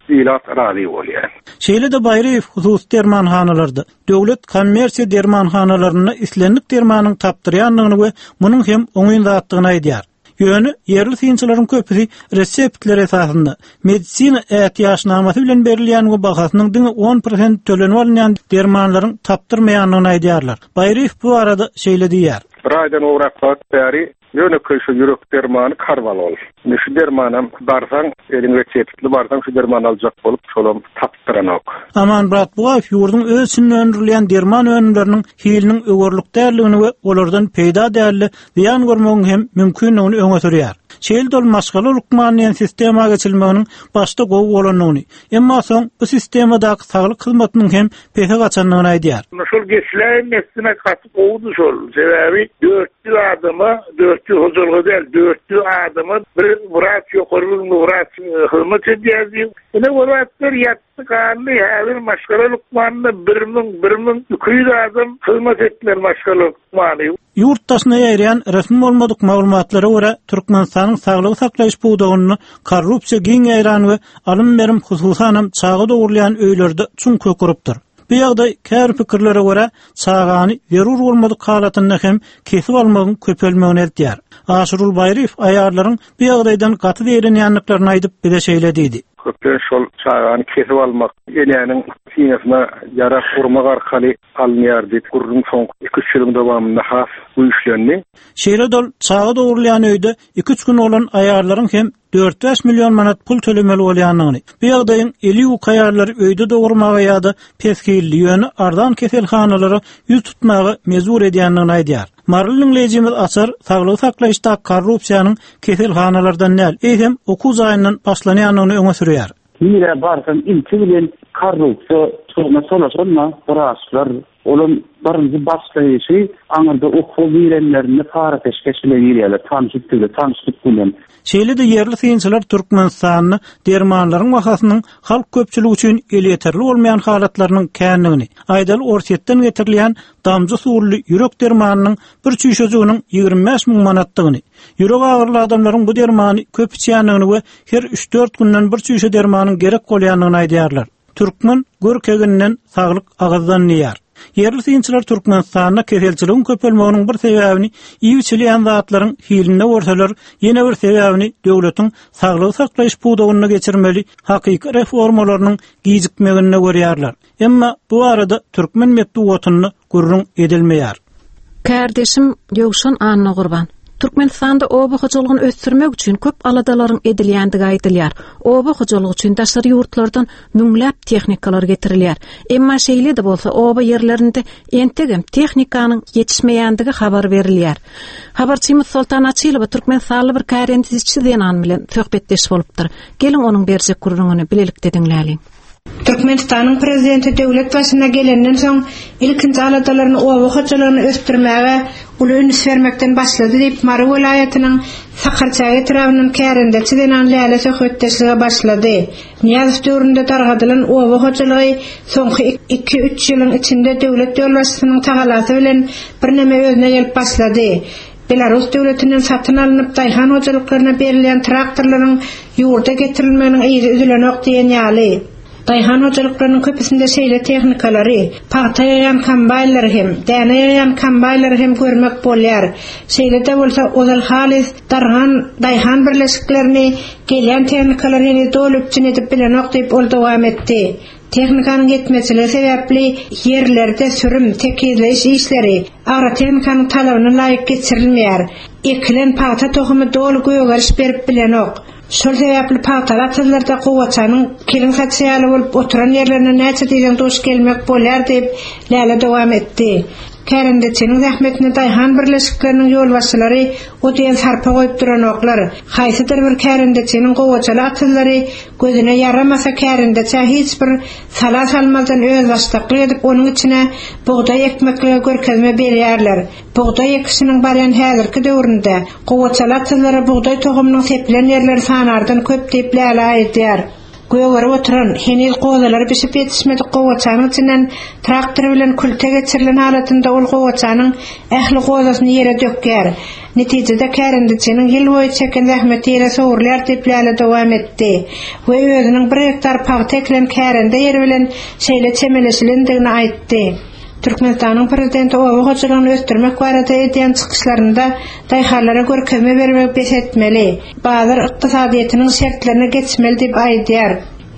ilat razy bolýar. Şeýle-de Baýryýew hususy dermanhanalarda, döwlet kommersiýa dermanhanalarynda islendik dermanyň tapdyrýandygyny we munuň hem oňyn zatdygyny aýdýar. Ýöne ýerli synçylaryň köpüsi reseptler esasynda medisina ätiýaçnamasy bilen berilýän we bahasynyň diňe on prosent tölenip alynýan dermanlaryň tapdyrmaýandygyny aýdýarlar. Baýryýew bu barada şeýle diýýär. Bir aýdan gowrak wagt bäri ýönekeý şu ýürek dermany karvalol. Indi şu dermanam barsaň, eliň reseptli barsaň şu dermany aljak bolup, şolam tapdyranok. Amanmyrat Bugaýew ýurduň öz içinde öndürilýän derman önümleriniň hiliniň öwürlik däldigini we olardan peýda däldi zyýan görmegiň hem mümkindigini öňe sürýär. Şeýle ol maşgala lukmany diýen sistema geçilmeginiň başda gowy bolandygyny, emma soň bu sistemadaky saglyk hyzmatynyň hem pese gaçandygyny aýdýar. Şol geçiläýmesine gaty gowudy şol. Sebäbi Dört ýüz adama, dört ýüz hojalyga däl, dört ýüz adama bir wraç, ýokary bilimli wraç hyzmat edýärdi. Ine, o zatlar ýatdy, galdy. Häzir maşgala lukmanyna bir müň, bir müň iki ýüz adam hyzmat etmeli maşgala lukmany. Ýurt daşyna ýaýraýan resmi bolmadyk maglumatlara görä, Türkmenistanyň saglygy saklaýyş pudagynda korrupsiýa giň ýaýran we alym-berim hususanam çaga dogrulýan öýlerde çuň kök urupdyr. Bu ýagdaý käbir pikirlere görä çagany zerur bolmadyk halatynda hem kesip almagyň köpelmegine eltýär. Aşyrul Baýryýew aýallaryň bu ýagdaýdan gaty zeýrenýändiklerini aýdyp bize şeýle diýdi. Köplenç şol çagany kesip almak, enäniň synasyna ýara urmak arkaly alynýar diýip, gürrüň soňky iki-üç ýylyň dowamynda has güýçlendi. Şeýle-de ol çaga dogrulýan öýde iki-üç gün bolan aýallaryň hem dört-bäş million manat pul tölemeli bolýandygyny, bu ýagdaýyň eli ýuk aýallary öýde dogurmaga ýa-da pes hilli, ýöne arzan keselhanalara ýüz tutmaga mejbur edýändigini aýdýar. Maryly diňleýjimiz Açar saglygy saklaýyşda korrupsiýanyň keselhanalardan däl, eýsem okuw jaýyndan başlanýandygyny öňe sürýär. Nirä barsaň ilki bilen korrupsiýa şoňa çolaşanma wraçlar, olam birinji başlaýşy aňyrda okuwa girenlerinde para peşgeş bile girýärler, tanşyp bile, tanşyp bilen. Şeýle-de ýerli synçylar Türkmenistanda dermanlaryň bahasynyň halk köpçüligi üçin elýeterli bolmaýan halatlarynyň kändigini, aýdaly Orsýetden getirilýän damja suwly ýürek dermanynyň bir çüýşejiginiň ýigrimi bäş müň manatdygyny, ýürek agyryly adamlaryň bu dermany köp içýändigini we her üç-dört günden bir çüýşe dermanyň gerek bolýandygyny aýdýarlar. Türkmen görkeginden saglyk agyzdan diýýär. Ýerli synçylar Türkmenistanda keselçiligiň köpelmeginiň bir sebäbini iýip içilýän zatlaryň hilinde görseler, ýene bir sebäbini döwletiň saglygy saklaýyş pudagynda geçirmeli hakyky reformalarynyň gijikmeginde görýärler. Emma bu arada türkmen metbugatynda gürrüň edilmeýär. Kardeşim Ýowşan Annagurban. Türkmenistanda oba hojalygyny ösdürmek üçin köp aladalaryň edilýändigi aýdylýar. Oba hojalygy üçin daşary ýurtlardan müňläp tehnikalar getirilýär. Emma şeýle-de bolsa oba ýerlerinde entegem tehnikanyň ýetişmeýändigi habar berilýär. Habarçymyz Soltan Açylowa Türkmenistanly bir kärendeçi zenan bilen söhbetdeş bolupdyr. Geliň onuň berjek gürrüňini bilelikde diňläliň. Türkmenistanyň prezidenti döwlet başyna gelenden soň ilkinji aladalaryny oba hojalygyny ösdürmäge uly üns bermekden başlady diýip Mary welaýatynyň Sakarçäge etrabyndan kärendeçi zenan Läle söhbetdeşlige başlady. Nyýazow döwründe dargadylan oba hojalygy soňky iki-üç ýylyň içinde döwlet ýolbaşçysynyň tagalasy bilen birneme özüne gelip başlady. Belarus döwletinden satyn alnyp daýhan hojalyklaryna berilýän traktorlaryň ýurda getirilmeginiň yzy üzülenok diýen ýaly. Daýhan hojalyklarynyň köpüsinde şeýle tehnikalary, pagta ýaýan kombaýnlary hem, däne ýaýan kombaýnlary hem görmek bolýar. Şeýle-de bolsa ozal halys dargan daýhan birleşiklerini gelýän tehnikalar heniz doly üpjün edip bilenok diýip ol dowam etdi. Tehnikanyň ýetmezçiligi sebäpli ýerlerde sürüm, tekizleýiş işleri agrotehnikanyň talabyna laýyk geçirilmeýär. Ekilen pagta tohumy doly gögeriş berip bilenok. Şol sebäpli pagtaly atyzlarda gowaçanyň keliň saçy ýaly bolup oturan ýerlerine näçe diýseň duş gelmek bolýar diýip Läle dowam etdi. Kärendeçiniň zähmetine daýhan birleşikleriniň ýolbaşçylary o diýen sarpa goýup duranoklar. Haýsydyr bir kärendeçiniň gowaçaly atyzlary gözüne ýaramasa kärendeçä hiç bir sala salmazdan özbaşdaklyk edip onuň içine bugdaý ekmeklige görkezme berýärler. Bugdaý ekişiniň barýan häzirki döwründe gowaçaly atyzlara bugdaý tohumynyň sepilen ýerleri sanardan köp diýip Läle aýdýar. Gögerip oturan, heniz gozalary bişip ýetişmedik gowaçanyň içinden traktor bilen külte geçirilen halatynda ol gowaçanyň ähli gozasyny ýere dökýär. Netijede kärendeçiniň ýyl boýy çeken zähmeti ýere sowrulýar diýip Läle dowam etdi we özüniň bir gektar pagta ekilen kärende ýeri bilen şeýle çemeleşilendigini aýtdy. Türkmenistanyň prezidenti oba hojalygyny ösdürmek barada edýän çykyşlarynda daýhanlara görkezme bermegi bes etmeli, bazar ykdysadyýetiniň şertlerine geçmeli diýip aýdýar.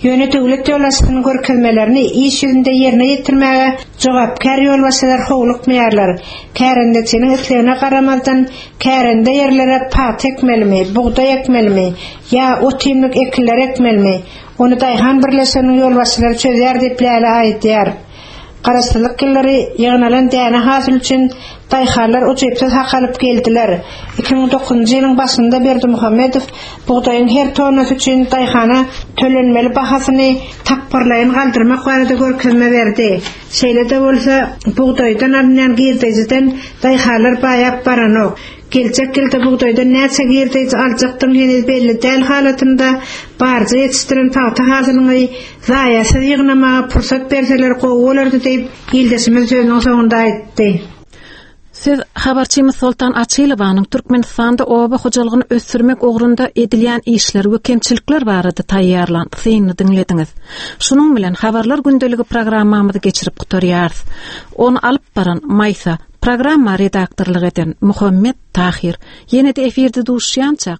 Ýöne döwlet ýolbaşçysynyň görkezmelerini iş ýüzünde ýerine ýetirmäge jogapkär ýolbaşçylar howlukmaýarlar. Kärendeçiniň islegine garamazdan kärende ýerlere pagta ekmelimi, bugdaý ekmelimi ýa ot-iýmlik ekinler ekmelimi, ony daýhan birleşiginiň ýolbaşçylary çözýär diýip Läle aýdýar. Garaşsyzlyk ýyllary ýygnalan däne hasyly üçin daýhanlar ujypsyz hak alyp geldiler. Iki müň dokuzynjy ýylyň başynda Berdimuhamedow bugdaýyň her tonnasy üçin daýhana tölenmeli bahasyny tapgyrlaýyn galdyrmak barada görkezme berdi. Şeýle-de bolsa, bugdaýdan alynýan girdejiden daýhanlar baýap baranok. Geljek ýylda bugdaýdan näçe girdeji aljakdygyň heniz belli däl halatynda, barja ýetişdiren pagta hasylyňy zaýasyz ýygnamaga pursat berseler gowy bolardy diýip, ildeşimiz sözüniň soňunda aýtdy. Siz habarçymyz Soltan Açylowanyň Türkmenistanda oba hojalygyny ösdürmek ugrunda edilýän işler we kemçilikler barada taýýarlan synyny diňlediňiz. Şunuň bilen Habarlar gündeligi programmamyzy geçirip gutarýarys. Ony alyp baran Maýsa, programma redaktorlyk eden Muhammet Tahir. Ýene-de efirde duşýançak.